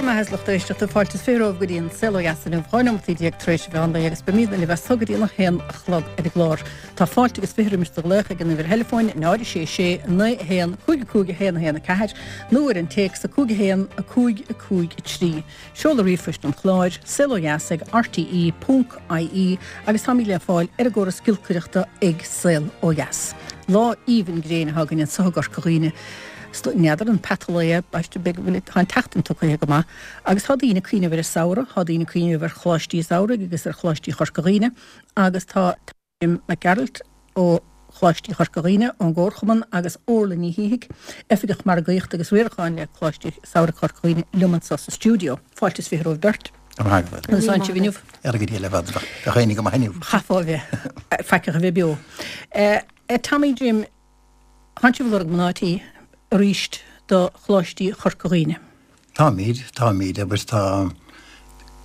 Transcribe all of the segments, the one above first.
raibh maith agat a lucht éisteachta, fáilte is 20 romhaibh go dtí an Saol Ó Dheas inniu, 12 nóimeataí tar éis an mheán lae agus beimidne libh as so go dtí an 1 a chlog ar an gclár. Tá fáilte agus 20 roimis do ghlaoch ag an uimhir theileafóin 0 6 6 9 1 5 5 1 1 4 nó ar an téacs 5 1 5 5 3. Seoladh ríomhphoist an chláir, saolodheas ag rte ponc ie agus táimid le fáil ar an gcóras giolcaireachta ag Saol Ó Dheas. Lá aoibhinn gréine atá againn anso i gCorca Dhuibhne. N'fheadar an peata lae é, b'aisteach beag a bhfuil, tá an tseachtain tugtha go maith agus tá daoine ag cuimhneamh ar an samhradh, tá daoine ag cuimhneamh ar Choláistí Samhraidh agus ar Choláistí Chorca Dhuibhne agus tá Jim Mac Gearailt ó Choláistí Chorca Dhuibhne, ón gComharchumann agus Orla Ní Shíthigh, Oifigeach Margaíochta agus Riaracháin le Coláistí Samhraidh Chorca Dhuibhne liom anso sa stiúideo. Fáilte is 20 romhaibh beirt. Go raibh maith agat. Conas tánn sibh inniu? Ar go dtí le fada. Bheadh éinne go maith inniu. Chaithfeá a bheith faiceach a bheith beo. Tommy Jim, Tánn sibh ag lorg mná tí arís do Choláistí Chorca Dhuibhne. Táimid, táimid, agus tá,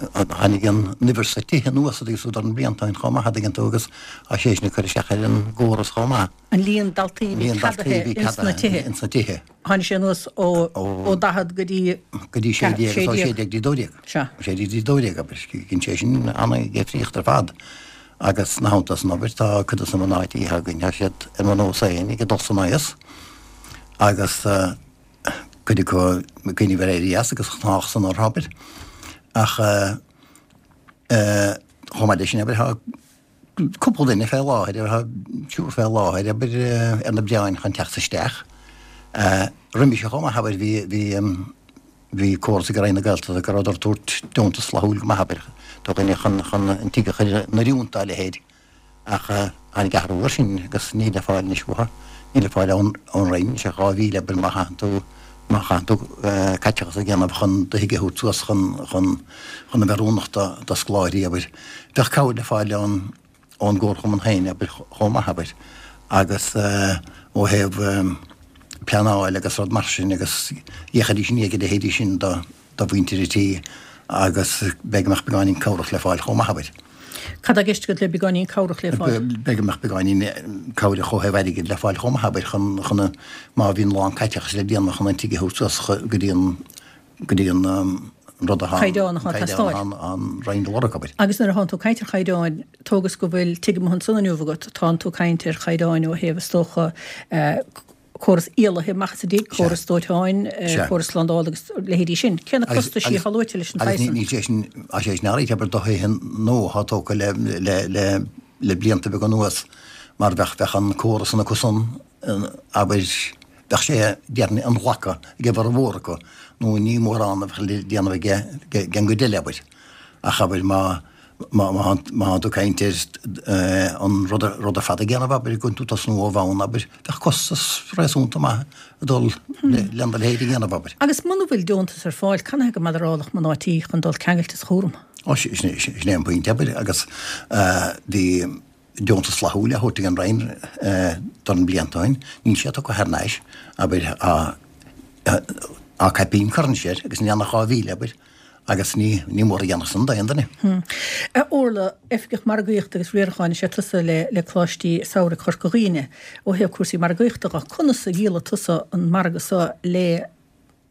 tháinig an uimhir sna tithe anuas agus idir na blianta ó shin chomh maith, a dtuigeann tú, agus tá sé sin ag cur isteach ar an gcóras chomh maith. An líon daltaí a bhí ceadaithe ins na tithe. Ins na tithe. Tháinig sé anuas ó, ó 40 go dtí. Go dtí 16, agus ó 16 go dtí 12. Sea. 16 go dtí 12, abair, dhein sé sin an-difríocht ar fad. Agus ina theannta san, abair, tá cuid de na mná tí atá againn, tá siad ar mo nós féin ag dul san aois agus cuid acu ag cuimhneamh ar éirí as agus gnách san orthu, abair. Ach chomh maith leis sin, abair, tá cúpla duine fé láthair, tá triúr fé láthair, abair, ar na breáin chun teacht isteach. Roimhe seo chomh maith, abair, bhí, bhí, bhí córas ag Roinn na Gaeltachta go rabhadar ag tabhairt deontas flaithiúil go maith, abair, do dhuine chun, chun an tigh a chur in oiriúint dá leithéid. Ach tháinig athrú air sin agus níl le fáil anois uathu, níl le fáil ón Roinn anois ach 2,000 abair má chaitheann tú, má chaitheann tú caiteachas a dhéanamh chun do thigh a thabhairt suas chun, chun, chun a bheith oiriúnach do, do scoláirí, abair. Bheadh cabhair le fáil ón, ón gComharchumann féin, abair, chomh maith, abair. Agus ó thaobh pleanáil agus rud mar sin agus d'fhéachfaidís i ndiaidh a leithéidí sin do, do mhuintir an tí agus b'fhéidir go mbeadh beagáinín cabhrach le fáil chomh maith, abair. Cad tá i gceist agat le beagáinín cabhrach le fáil? B'fhéidir go mbeadh beagáinín cabhrach ó thaobh airgid le fáil chomh maith, abair, chun, chun a, má bhíonn a lán caiteachais le déanamh chun an tigh a thabhairt suas go dtí an, go dtí an rud atá, Caighdeán atá ag teastáil. Caighdeán atá an Roinn ag lorg, abair. Agus nuair atánn tú ag caint ar chaighdeáin, tógas go bhfuil tigh amuigh ansan inniu agat, tánn tú ag caint ar chaighdeáin ó thaobh, is dócha, córas iallaithe amach as an dtigh, córas dóiteáin, córas slándála agus leithéidí sin. Cé na costaisí atá luaite leis an saghas san? Agus níl sé sin, tá sé sin áirithe, abair, do thithe nua atá tógtha le, le, le, le blianta beaga anuas mar bheadh, bheadh an córas san acu san, abair, bheadh sé, déarfainn, inghlactha ag a bhformhór acu nó ní mórán a bheadh le déanamh aige den gcuid eile, abair. Ach abair má, má má tú ag caint ar an rud rud ar fad a dhéanamh, abair, go tú tosnú ó bhonn, abair, bheadh costas réasúnta maith ag dul lena leithéid a dhéanamh, abair. Agus muna bhfuil deontas ar fáil, canathaobh go mbeadh mná tí chun dul ceangailte sa chúram? Ó, sin é an pointe, abair, agus bhí deontas flaithiúil á thabhairt ag an Roinn dornán blianta ó shin, níl sé tugtha thar n-ais, abair, tá caipín curtha anois air agus ní ann ach 2,000, abair. Agus ní ní mór a dhéanamh san d'aon duine. A Orla, Oifigeach Margaíochta agus Riaracháin is ea tusa le le Coláistí Samhraidh Chorca Dhuibhne. Ó thaobh cúrsaí margaíochta dho, conas a dhíolfaidh tusa an margadh so le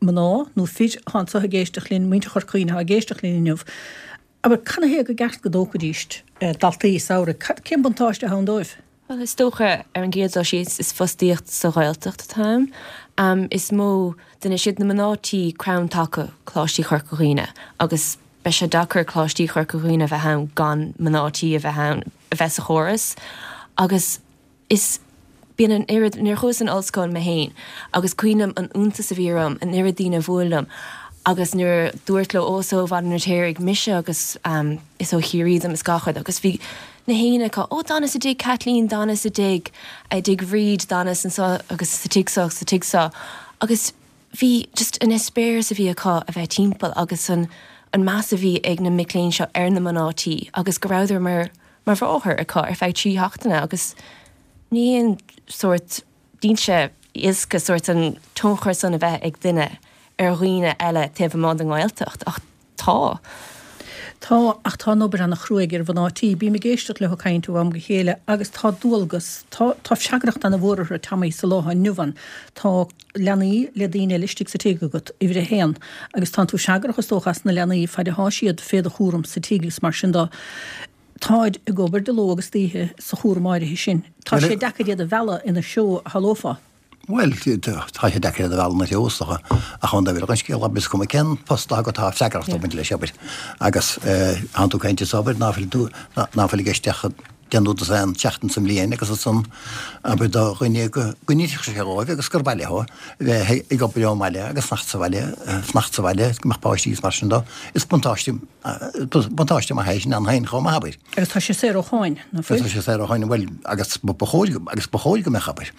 mná nó fir atá anso ag éisteacht linn, muintir Chorca Dhuibhne atá ag éisteacht linn inniu? Abair, canathaobh gur ceart go dtógfaidís daltaí samhraidh? Cad, cén buntáiste atá ann dóibh? Bhuel, is dócha, ar an gcéad dul síos, is fostaíocht sa Ghaeltacht atá ann. Is mó duine, siad na mná tí crann taca Coláistí Chorca Dhuibhne agus beidh sé deacair Coláistí Chorca Dhuibhne a bheith ann gan mná tí a bheith ann, a bheith sa chóras. Agus is, bíonn an oiread, nuair a chuas san ollscoil mé féin agus cuimhním an iontas a bhí orm, an oiread daoine a bhuail liom agus nuair a dúirt leo, ó, is ó Bhaile an Fheirtéaraigh mise agus is ó Chiarraí dom is gach rud agus bhí na héinne acu, ó d'fhanas i dtigh Kathleen, d'fhanas i dtigh, i dtigh Bhríd, d'fhanas anso agus sa tigh so agus sa tigh so agus bhí just an eispéireas a bhí acu a bheith timpeall agus an an meas a bhí ag na mic léinn seo ar na mná tí agus go rabhadar mar mar mháthair acu ar feadh 3 sheachtaine agus ní haon sórt níl sé éasca sórt an tionchar san a bheith ag duine ar dhaoine eile taobh amuigh den nGaeltacht ach tá. Tá, ach tá an obair ana-chruaidh ar mhná tí. Bím ag éisteacht leo ag caint ó am go chéile agus tá dualgas, tá, tá freagracht ana-mhór orthu, Tommy, sa lá atá inniu ann. Tá leanaí le daoine eile istigh sa tigh agat, uimhir a haon, agus tánn tú freagrach is dócha as na leanaí faid athá siad fé do chúram sa tigh agus mar sin de. Táid ag obair de ló agus d'oíche sa chúram áirithe sin. Tá sé deacair iad a mhealladh ina threo, a shamhlófá. Bhuel, tá sé deacair iad a mhealladh ina threo, is dócha, ach ón dtaobh eile den scéal, abair, is cuma cén post atá agat, tá freagracht ag baint leis, abair. Agus tánn tú ag caint anso, abair, ná fuil tú, ná fuil i gceist ach deich nó dosaen seachtain sa mbliain agus ansan, abair, do dhuine go n-oirfeadh sé dhóibh agus gur mhaith leo bheith ag obair ón mbaile agus fanacht sa bhaile, fanacht sa bhaile, go mbeadh páistí agus mar sin dó, is buntáiste, buntáiste maith é sin ann féin chomh maith, abair. Agus tá sé saor ó cháin, ná fuil? Tá sé saor ó cháin, bhuel, agus ba chóir, agus ba chóir go mbeadh, abair.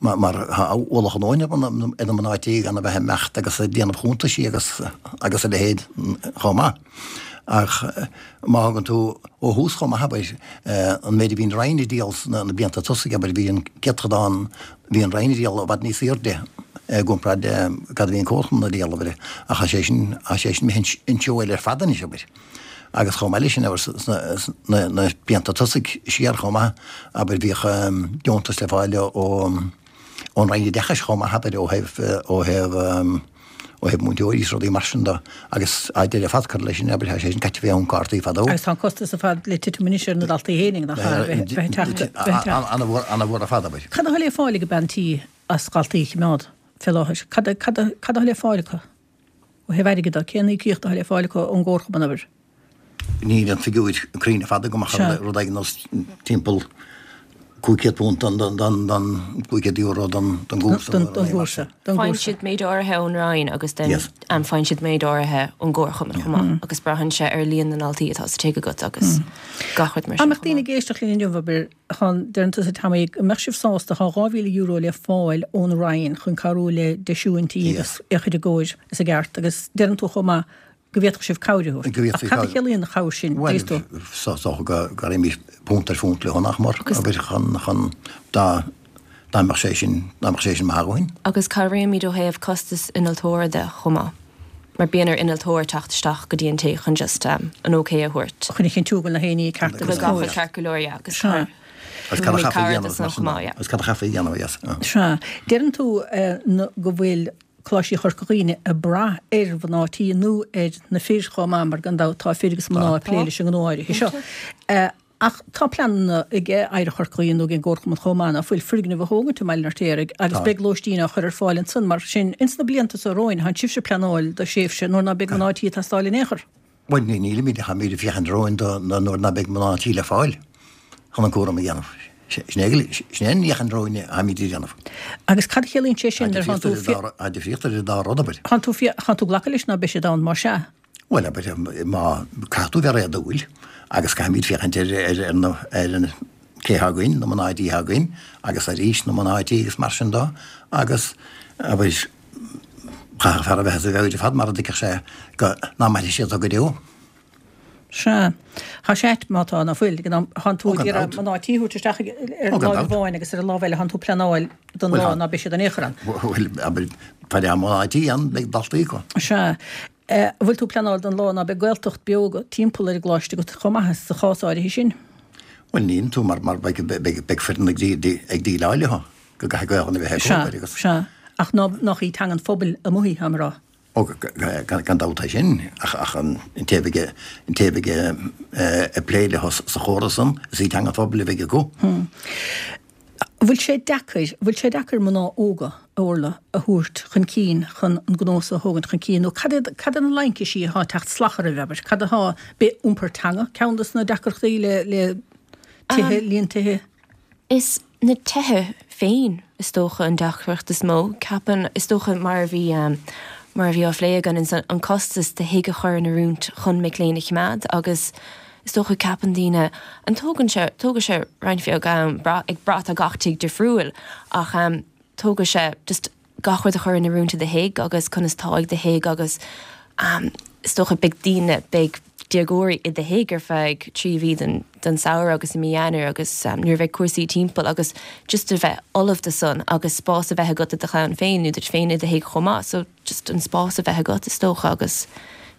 mar tá ualach a ndóthain ar na mná tí gan a bheith ag imeacht agus ag déanamh chuntaisí agus agus a leithéid chomh maith. Ach má thugann tú ó thús chomh maith, abair, an méid a bhí an Roinn ag díol sna blianta tosaigh, abair, bhí an céatadán, bhí an Roinn ag díol i bhfad níos airde i gcomparáid le cad a bhí an Comharchumann ag díol, abair, ach tá sé sin, tá sé sin imithe an treo eile ar fad anois, abair. Agus chomh maith leis sin, abair, sna blianta tosaigh siar chomh maith, abair, bhíodh deontas le fáil ón Roinn Oideachais chomh maith, abair, ó thaobh, ó thaobh, ó thaobh múinteoirí is rudaí mar sin de. Agus tá deireadh ar fad curtha leis sin, abair, tá sé sin caite fé thóin cártaí fadó. Agus tá an costas ar fad le titim anois ar na daltaí fhéinig, nach ea, a bheith ag teacht, bheith ag teacht. Ana-mhór, ana-mhór ar fad, abair. Cad atá le fáil ag bean tí as dhaltaí a choimeád fé láthair? Cad, cad, cad atá le fáil acu? Ó thaobh airgid de, cén íocaíocht atá le fáil acu ón gComharchumann, abair? Níl an figiúir cruinn ar fad agam ach rud éigin nós timpeall £500 don, don, don, €500 don, don gcúrsa. Don, don gcúrsa. Don Faigheann siad méid áirithe ón Roinn agus then faigheann siad méid áirithe ón gComharchumann chomh maith agus braitheann sé ar líon na ndaltaí atá sa tigh agat agus gach rud mar sin. Dá mbeadh daoine ag éisteacht linn inniu, abair, Tá, deireann tusa Tommy, go mbeadh sibh sásta, tá €2,000 le fáil ón Roinn chun cabhrú le deisiú an tí agus é a chur i gcóir is i gceart agus deireann tú chomh maith go bhféadfadh sibh cabhair a thabhairt. Ach cad a chiallaíonn an chabhair sin, dóigh tú? Bhuel, is dócha go raimis punt ar phunt leo nach mór, abair, chun, chun, dá, dá mbeadh sé sin, dá mbeadh sé sin maith dhúinn. Agus cabhraímid ó thaobh costas innealtóra de chomh maith. Mar bíonn ar innealtóir teacht isteach go dtí an tigh chun just an ok a thabhairt. Chun a chinntiú go bhfuil na haon ní ceart agus cóir. Go bhfuil gach rud ceart go leor, yeah, agus Sea. Agus cad a chaithfí a dhéanamh mar sin de? Agus cad a chaithfí a dhéanamh, yes. Sea. Deireann tú go bhfuil Coláistí Chorca Dhuibhne ag brath ar mhná tí nó ar na fir chomh maith mar gan dabht tá fir agus mná ag plé leis an ngnó áirithe seo. Ach tá pleananna ag Oidhreacht Chorca Dhuibhne nó ag an gComharchumann chomh maith ná fuil foirgneamh a thógaint i mBaile an Fheirtéaraigh agus beidh lóistín á chur ar fáil ansan. Mar sin, ins na blianta so romhainn, tánn sibhse ag pleanáil do thréimhse nuair ná beidh mná tí ag teastáil in aon chor. Bhuel, ní nílimid ach táimid ag féachaint romhainn do nuair ná beidh mná tí le fáil chun an cúram a dhéanamh. Sin é an fhéachaint romhainn atáimid a dhéanamh. Agus cad a chiallaíonn sé sin nuair atánn tú. Tá difríocht idir an dá rud, abair. Tánn tú, tánn tú ag glacadh leis ná beidh siad ann, más ea? Bhuel, abair, má, caithfidh tú bheith réadúil agus caithfimid féachaint ar, ar, ar na, ar an, cé atá againn, na mná tí atá againn agus ar aois na mná tí agus mar sin de agus, abair, chaithfeadh fear a bheith as a mheabhair ar fad mara dtuigfeadh sé go, ná mairfidh siad go deo. Sea. Tá sé ait má tá, ná fuil, ag an am, tánn tú ag iarraidh mná tí a thabhairt isteach ar láimh amháin agus ar an lámh eile tánn tú ag pleanáil don lá ná beidh siad in aon chor ann. Bhuel, abair, fad atá mná tí ann, beidh daltaí acu. Sea. An bhfuil tú ag pleanáil don lá ná beidh Gaeltacht beo agat timpeall ar an gcoláiste agat chomh maith sa chás áirithe sin? Bhuel, níl tú mar mar beidh beidh beidh foireann ag ag déileáil leo go gcaithfidh Gaelainn a bheith acu Sea, abair agus. sea. Ach ná nach í teanga an phobail amuigh í, táim a rá. Ó, gan dabht é sin, ach ach an té a bheidh an té a bheidh ag plé leo sa chóras san, is í teanga an phobail a bheidh acu. An bhfuil sé deacair, an bhfuil sé deacair mná óga, a Orla, a thabhairt chun cinn chun an gnó so a thógaint chun cinn nó cad iad, cad iad na laincisí atá ag teacht salach oraibh, abair, cad atá, b'é iompar teanga ceann dos na deacrachtaí le, le tithe, líon tithe? Is na tithe féin is dócha an deacracht is mó, ceapaim, is dócha mar a bhí, mar a bhí á phlé againn, an costas de thigh a chur in oiriúint chun mic léinn a choimeád agus, Is dócha, ceapann daoine, an tógann sé, tógfaidh sé roinnt bheag am, brath, ag brath, tá gach tigh difriúil, ach tógfaidh sé just gach rud a chur in oiriúint i do thigh agus conas tá ag do thigh agus is dócha beidh daoine, beidh déagóirí i do thigh ar feadh 3 mhí den, den samhradh agus i mí Eanáir agus nuair a bheidh cúrsaí timpeall agus just a bheith ullamh do san agus spás a bheith agat do do chlann féin nó duit féin i do thigh chomh maith so just an spás a bheith agat is dócha agus.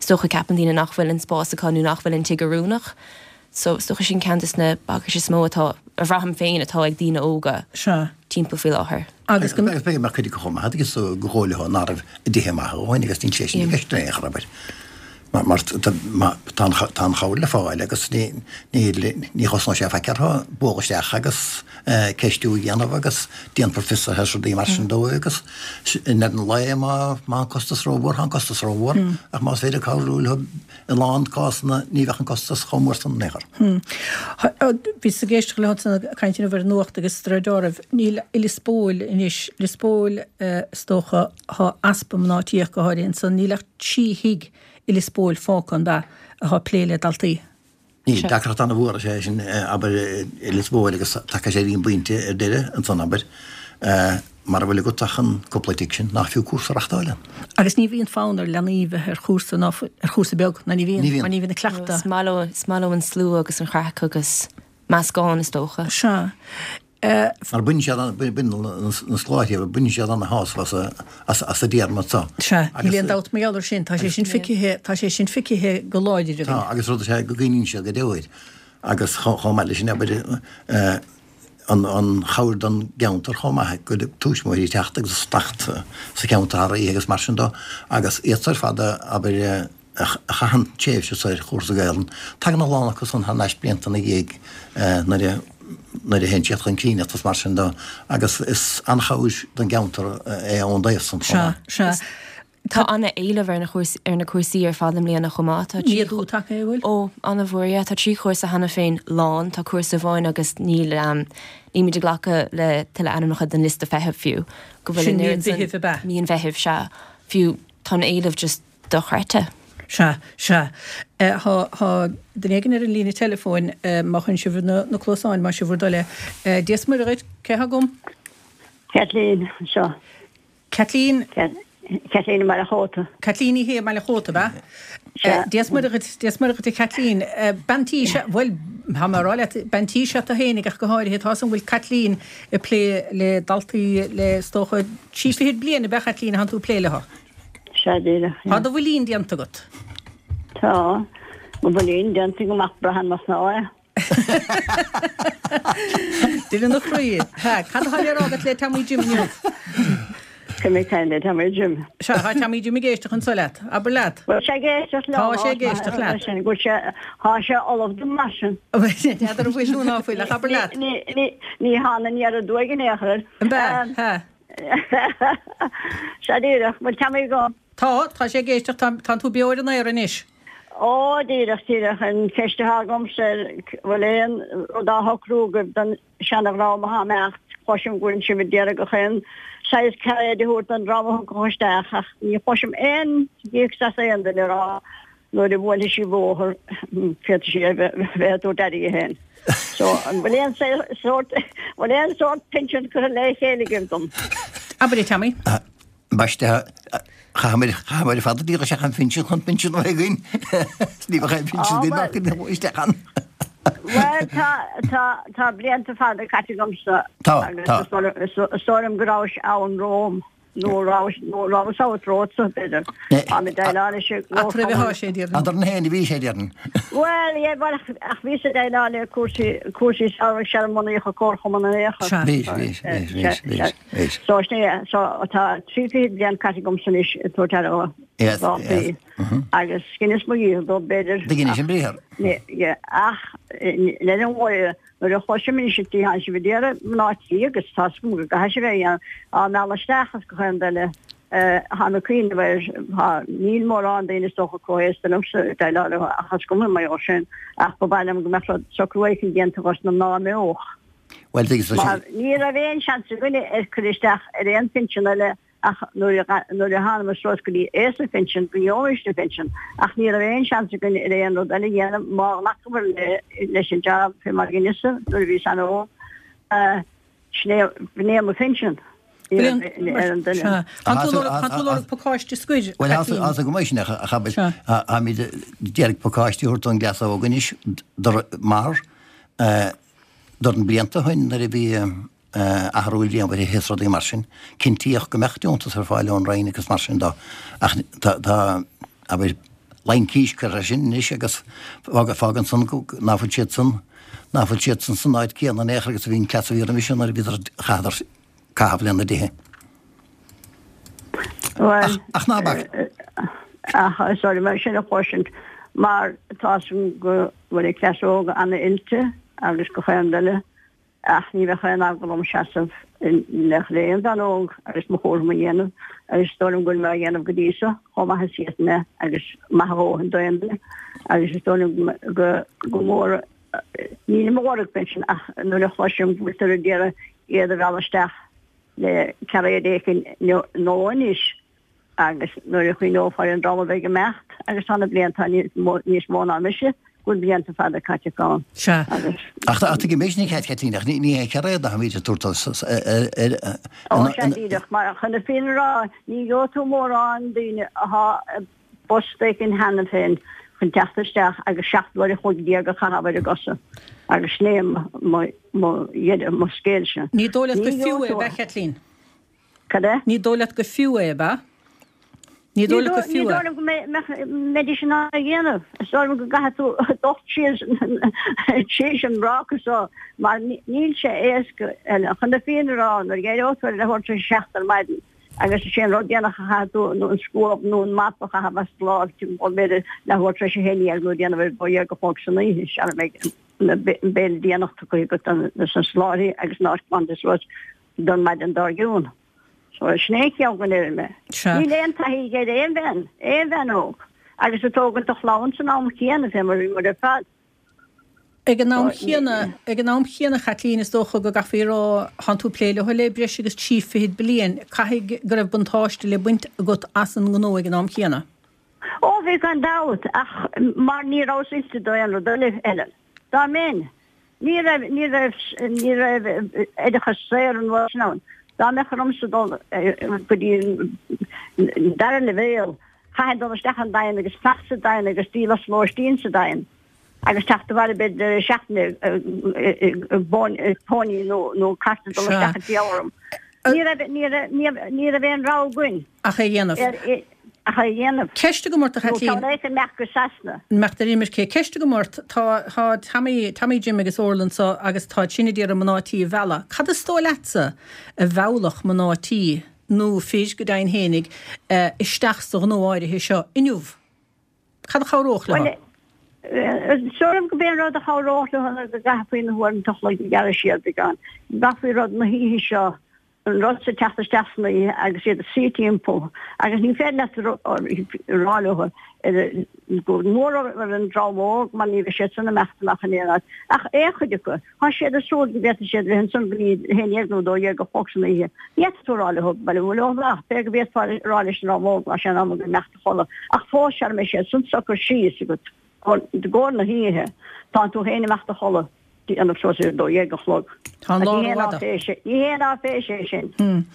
Is dócha ceapann daoine nach bhfuil an spás acu nó nach bhfuil an tigh oiriúnach. So is dócha sin ceann des na bagairt is mó atá, a bhraithim féin, atá ag daoine óga Sea. timpeall faoi láthair. Agus go. Agus b'fhéidir go mbeadh cuid acu chomh maith agus go dóigh leo nach raibh a dtithe maith a dhóthain agus níl sé sin i gceist in aon chor, abair. Mar tá an chabhair le fáil agus ní chosnóidh sé faic orthu bualadh isteach agus ceistiú a dhéanamh agus déanfar fiosruithe is rudaí mar sin dóibh agus i ndeireadh an lae má tá an costas rómhór, tá an costas rómhór ach más féidir cabhrú leo i lán cásanna ní bheadh an costas chomh mór san in aon chor. Bhíos ag éisteacht leo ansan ag caint inniu ar an nuacht agus de réir dealraimh níl i Lios Póil anois, Lios Póil is dócha, Tá easpa mná tí ach go háirithe ansan. Níl ach 3 thigh i Lios Póil fágtha, an ea, atá ag plé le daltaí. Níl. Deacracht an-mhór is ea é sin, abair, i Lios Póil agus tagann sé ar an bpointe ar deireadh ansan, abair, mara bhfuil agat ach an cúpla tigh sin, nach fiú cúrsa a reachtáil ann. Agus ní bhíonn fonn ar leanaí bheith ar chúrsa ná ar chúrsa beag, ná ní bhíonn, mar ní bhíonn an cleachtadh. Is maith leo, is maith leo an slua agus an chraic agus meascán, is dócha. Sea. Mar baineann siad an, baineann na scoláirí, baineann siad ana-shásamh as an dtéarma seo. Sea, níl aon dabht mar gheall air sin, tá sé sin feicthe, tá sé sin feicthe go láidir againn. Tá, agus rud is ea go gcuimhníonn siad go deo air. Agus chomh maith leis sin, abair, an chabhair don gceantar chomh maith, go tuismitheoirí ag teacht agus ag fanacht sa cheantar thar oíche agus mar sin dó, agus iad ar fad, abair, a chaitheann tréimhse ar chúrsa Gaelainne. Tagann a lán acu san thar n-ais blianta ina dhiaidh nuair a nuair a théann siad chun cinn agus mar sin de agus is an-chabhair don gceantar é ón dtaobh san chomh maith. Sea, sea. Tá an-éileamh ar na ar na cúrsaí ar fad i mbliana chomh maith. Tá trí. Méadú tagtha, an bhfuil? Ó, an-mhór, yeah. Tá 3 chúrsa cheana féin lán. Tá cúrsa amháin agus níl, nílimid ag glacadh le tuilleadh ainmneacha don liosta feithimh fiú. Go bhfuil Sin an mí an oiread san. Mheithimh, ab ea? Mí an Mheithimh, sea. Fiú tá an éileamh just dochreidte. Sea, sea. Tá, tá duine éigin ar an líne teileafóin, má chuireann sibh na, na cluasáin, más é bhur dtoil é. Dia is Muire dhuit, cé thá agam? Kathleen anseo. Kathleen? Kathleen i mBaile Chóta. Kathleen Ní Shé i mBaile Chóta, ab ea? Sea. Dia is Muire dhuit, Dia is Muire dhuit a Kathleen. Bean tí is ea, bhuel, tá mé a rá leat, bean tí is ea tú fhéinig ach go háirithe, tá 'fhios a'm go bhfuil Kathleen ag plé le daltaí le, is dócha, trí fichid bliain, ab ea Kathleen, a thánn tú ag plé leo? Sea, díreach. Tá do bhuilín déanta agat. Tá mo bhuilín déanta agam ach braitheann mo chnámha é. Duine na chroí. Sea, cad atá le rá agat le Tommy Jim inniu? Cad mé caint le Tommy Jim. Sea, tá Tommy Jim ag éisteacht anso leat. Abair leat. Bhfuil sé ag éisteacht liom? Tá sé ag éisteacht leat. Go bhfuil sé, tá sé ullamh dom mar sin. N'fheadar an bhfuil nó ná fuil, ach abair leat. Ní hán an iarraidh uaidh in aon chor. An b'ea? Sea. Sea díreach, bhfuil Tommy agam? Tá, tá sé ag éisteacht, tá, tánn tú beo ar an aer anois. Ó, díreach, díreach, an cheist atá agamsa, bhfuil aon rud á shocrú agaibh don seana-dhream atá ag imeacht, cloisim go bhfuil sibh ag iarraidh gach aon saghas cairéid a thabhairt don dream a thiocfadh isteach ach ní chloisim aon ghíocs as aon duine ag rá nuair a bhuailfidh sí bóthar féadfaidh sí a bheith ag tabhairt aire di féin. So, an bhfuil aon sórt, bhfuil aon sórt pinsean curtha le chéile agaibh dom? Abair é, Tommy. Ambaiste, chaitheamar, chaitheamar ar fad a d'iarr isteach an phinsean chun pinsean a bheith againn. Ní bheadh aon phinsean againn ach go dtiocfadh isteach ann. Bhuel, tá, tá, tá blianta fada caite agamsa. Tá, tá. Agus is dóigh liom go rabhais ann romham. Nó rabhais, nó rabhas abhus romhatsa, b'fhéidir. Táim ag déileáil leis an Eatarthu atá sé, déarfainn. Eadrainn féin a bhí sé, déarfainn. Bhuel, yeah, bhuel, ach bhíos ag déileáil le cúrsaí, cúrsaí samhraidh sara mbunaíodh an Comharchumann in aon chor. Sea. Bhís, bhís, bhís, bhís, bhís, bhís. So, sin é, so tá 30 bliain caite agamsa anois ag tabhairt aire do Yes, dhaltaí. yes. mhm. Agus dheineas mo dhícheall dóibh, b'fhéidir. Do dheinis an briathar. Ní, yeah, ach le linn mhaith Nuair a chloisim anois an tslí thánn sibh ag iarraidh mná tí agus tá 's agam go gcaithfidh sibh é a dhéanamh, á mealladh isteach is gach aon rud eile, tháim ag cuimhneamh air, tá, níl mórán daoine is dócha chomh haosta liomsa ag déileáil leo ach is cuma mar gheall sin, ach ba mhaith liom go mbeadh rud, socrú éicint déanta dos na mná a imeodh. Bhuel, tuigim, so Mar ní raibh aon seans againne ar cur isteach ar aon phinsean eile Ach nuair a thánamar suas go dtí aois an phinsin, go ngeobhaimis an pinsean, ach ní raibh aon seans againn ar aon rud eile a dhéanamh má ghlacamar leis an jab fé mar a dheineas-sa nuair a bhíos an-óg. Sin é, b'in é mo phinsean. Ní raibh ar an duine. Tá tú ag lorg pacáiste scoir, Bhuel, tá go maith sin, a chabair. Táimid d'iarraidh pacáiste a thabhairt don gcleas óg anois, mar dornán blianta ó shin nuair a bhí athrú líonmhaire is rudaí mar sin. Cinntíodh go mbeadh deontas ar fáil ón Roinn agus mar sin dó. Ach tá, tá, abair, Laincis curtha air sin anois agus fágann san ná fuil siad san, ná fuil siad san san áit céanna in aon chor agus a bhí an cleas a bhí roimhe sin nuair a bhíodar, chaitheadar caitheamh lena dtithe. Bhuel, Ach ná bac. Ach sorry, mar sin a chloisint, mar tá 's agam go bhfuil an cleas óg an-oilte agus gach aon rud eile, Ach ní bheadh aon eagla orm seasamh in éineacht le aon bhean óg agus mo chúram a dhéanamh, agus is dóigh liom go bhfuil mé á dhéanamh go dtí seo chomh maith is a d'fhéadfainn é agus maith a dhóthain d'aon duine. Agus is dóigh liom go go mór, nílim ag lorg pinsean ach nuair a chloisim go bhfuiltear ag iarraidh iad a mhealladh isteach le cairéad éicint nua anois, Agus nuair a chuimhneofá ar an dream a bheidh ag imeacht, agus tá na blianta níos mó ná mise, go bhfuil blianta fada caite acu ann. Sea. Agus. Ach tá tuigim é sin, a Chaitlín, ach ní hé cairéad atáimid ag tabhairt ar. Ó, sea, díreach. Mar chun na fírinne a rá, ní gheobhaidh tú mórán daoine athá i bpost éicint cheana féin chun teacht isteach agus 17 uair a chloig a chaitheamh ar a gcosa. Agus sin é mo dheireadh, mo scéalsa. Ní dóigh leat gur fiú é, ab ea, Chaitlín? Cad é? Ní dóigh leat gur fiú é, ab ea? Ní dóigh leat gur fiú é. Ní dóigh liom go mbeidís in ann é a dhéanamh. Is dóigh liom go gcaithfidh tú dul síos tríd an mbráca so mar níl sé éasca. Chun na fírinne a rá, nuair a d'éireodh tú ar leathuair tar éis a 7 ar maidin agus is é an rud déanach a chaithfidh tú nó an scuab nó an map a chaitheamh as do láimh timpeall b'fhéidir leathuair tar éis a 11 nó déanamh ar 12 a chlog san oíche sara mbeidh an béile déanach tugtha agat do na scoláirí agus an áit glanta suas. don maidin dár gcionn. So sin é an chiall go ndeirim é. Sea. Níl aon taithí ag aon bhean, aon bhean óg, agus ag tógaint do chlann san am chéanna, fé mar a bhí muid ar fad. Ag an am chéanna, ag an am chéanna, a Chaitlín, is dócha go gcaithfí a rá, thánn tú ag plé leo le breis agus trí fichid bliain, caithfidh go raibh buntáiste le baint agat as an ngnó ag an am chéanna. Ó, bhí gan dabht, ach mar ní rabhas oilte d'aon rud eile, Helen. Dá mbeinn, Ní raibh, ní raibh, ní raibh oideachas saor an uair sin ann. Dá mbeadh ormsa dul go dtí an dara leibhéal, chaithfinn dul isteach an Daingean agus fanacht sa Daingean agus díol as lóistín sa Daingean agus teacht abhaile b'fhéidir deireadh seachtaine i bpóiní nó cairt ag dul isteach ag díol orm. Ní raibh, ní raibh, ní raibh aon rogha againn. Ach é a dhéanamh. Ach é a dhéanamh. Ceist agam ort, a Nó Chaitlín. ceann éicint imeacht go Sasana. Imeacht ar imirce. Ceist agam ort, tá, tá Tommy, Tommy Jim agus Orla anso agus táid sin ag iarraidh mná tí a mhealladh. Cad is dóigh leatsa a mheallfadh mná tí, nó fir go deimhin fhéinig, isteach sa ghnó áirithe seo inniu? Cad a chabhródh leo? Bhuel, is dóigh liom gurb é an rud a chabhródh leo ná go gcaithfí na huaireanta a chloig a ghearradh siar beagán. Go gcaithfí rud na hoíche seo an rud seo teacht isteach san oíche agus iad ag suí timpeall agus ní féidir leat a rá leo go mór ar an dream óg mar ní bheidh siad san imeacht amach in aon áit ach aon chuid acu. Tá siad ag súil go bhféadfaidh siad bheith ansan go dtí a 11 nó 12 a chlog san oíche. Ní fhéadfaidh tú a rá leo bail leo amach, b'fhéidir go bhféadfá a rá leis an dream óg ná sé an am go imeacht a chodladh ach fós sara mbeidh siad san socair síos agat i gcomhair na hoíche, tá tú féin imeacht a chodladh. Déanamh suas ar 12 a chlog. Tá an lá rófhada. Ní haon áiféis é sin.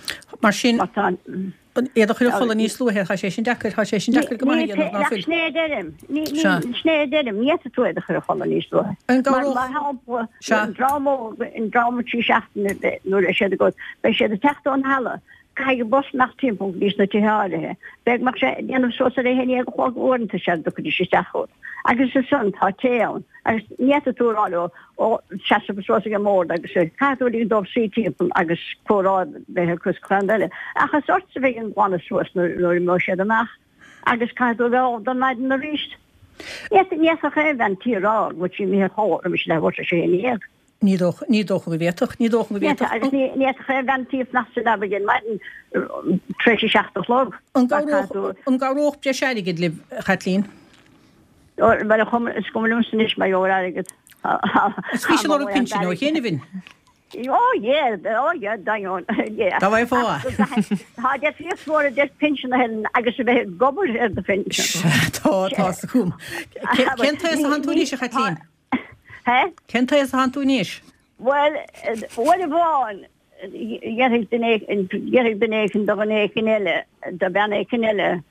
Mar sin, iad a chur a chodladh níos luaithe, tá sé sin deacair, tá sé sin deacair go maith a dhéanamh, ná fuil? Sin é a deirim. Sin é a deirim. Ní fhéadfaidh tú iad a chur a chodladh níos luaithe. Mar shampla, an dream óg, an dream 3 seachtaine nuair a siad agat, beidh siad ag teacht ón halla, Caithfidh an bus imeacht timpeall go dtí sna tithe áirithe. B'fhéidir go mbeadh sé ag déanamh suas ar a 11 a chlog uaireanta sara dtiocfaidís isteach chugat. Agus ansan tá tae ann agus ní fhéadfaidh tú a rá leo ó seasamh suas ag an mbord agus caithfidh tú ligean dóibh suí timpeall agus comhrá a bheith acu is chuile rud eile. Ach is ortsa a bheidh an glanadh suas nuair a imeoidh siad amach agus caithfidh tú a bheith ullamh don maidin arís. Ní fhéadfadh aon bhean tí a rá go bhfuil sí imithe a chodladh roimis leathuair tar éis a 11. Ní dócha, ní dócha go bhféadfadh, ní dócha go bhféadfadh. Agus ní fhéadfadh aon bhean tí fanacht sa leaba ar maidin tar éis a 7 a chlog. An gcabhródh, an gcabhródh breis airgid libh, a Chaitlín? Bhuel, is cuma liomsa anois mar gheall ar airgead. Is bhís ag lorg pinsin ó chianaibh. Ó yeah, ó yeah, d'ainneoin, yeah. Dá bhfaighfeá. Tá difríocht mhór idir pinsean a Helen agus a bheith ag obair ar do phinsean. Tá, tá 's agam. Cén t-aos a thánn tú anois, a Chaitlín? Hé? Cén t-aos a thánn tú anois? Bhuel, uair amháin, dhéarfaidh duine éicint, déarfaidh duine éicint do dhuine éicint eile, do bhean éicint eile,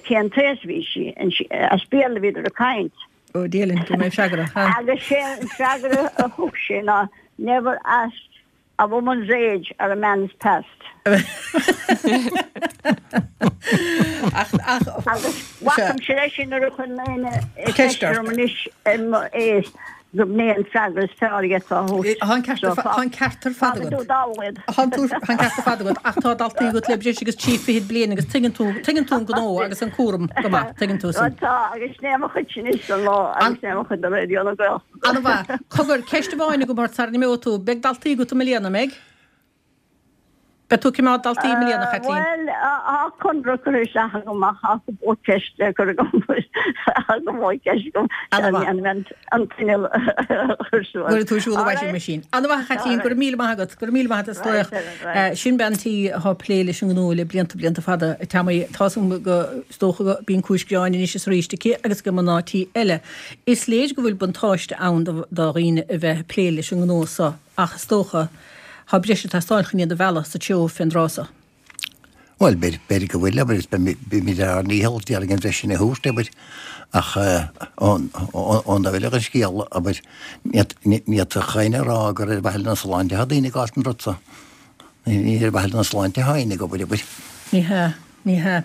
cén t-aos a bhí sí, as Béarla a bhíodar ag caint. Ó, Dia linn, go mbeidh freagra, ha? Agus sé an freagra a thug sé ná, never ask. A woman's age or a man's past. Ach, ach, Agus bhacaimse leis sin nuair a chuir éinne ceist orm anois ar m'aois gurb in é an freagra is fearr a d'fhéadfá a thabhairt. Tá an ceart ar fad, tá an ceart ar fad agat. Tá an ceart ar fad agat ach tá daltaí agat le breis agus 30 bliain agus tuigeann tú, tuigeann tú an gnó agus an cúram go maith, tuigeann tú sin. Tá, agus sin é mo chuid sin anois don lá agus sin é mo chuid do Raidió na Gaeltachta. An-mhaith. Cogar, ceist amháin agam ort sara n-imeoidh tú. Beidh daltaí agat i mbliana, an mbeidh? Beidh tú ag coimeád daltaí i mbliana, a Chaitlín? Bhuel, tá conradh curtha isteach agam ach tá cúpla ceist le cur agam. Tá cúpla ceist agam. An-mhaith. An t-inneall a chur suas. Cuirfidh tú ar siúl an washing machine. An-mhaith, a Chaitlín. Go raibh míle maith agat. Go raibh míle maith agat as glaoch. Sin bean tí atá ag plé leis an ngnó le blianta, blianta fada. A Tommy, tá 's agam go, is dócha go bíonn cúis ghearáin anois is arís aici agus ag mná tí eile. Is léir go bhfuil buntáiste ann do dhaoine a bheith ag plé leis an ngnó so ach is dócha tá breis ag teastáil chun iad a mhealladh sa treo fén dtráth so. Bhuel, b'fhéidir go bhfuil, abair, agus beimid ar ár ndícheall déarfainn an bhreis sin a thabhairt, abair, ach ón dtaobh eile den scéal, abair, ní fhéadfadh éinne a rá gur ar mhaithe lena sláinte atá daoine ag gabháil don rud so. Ní ar mhaithe lena sláinte atá éinne ag obair, abair. Ní hea. Ní hea.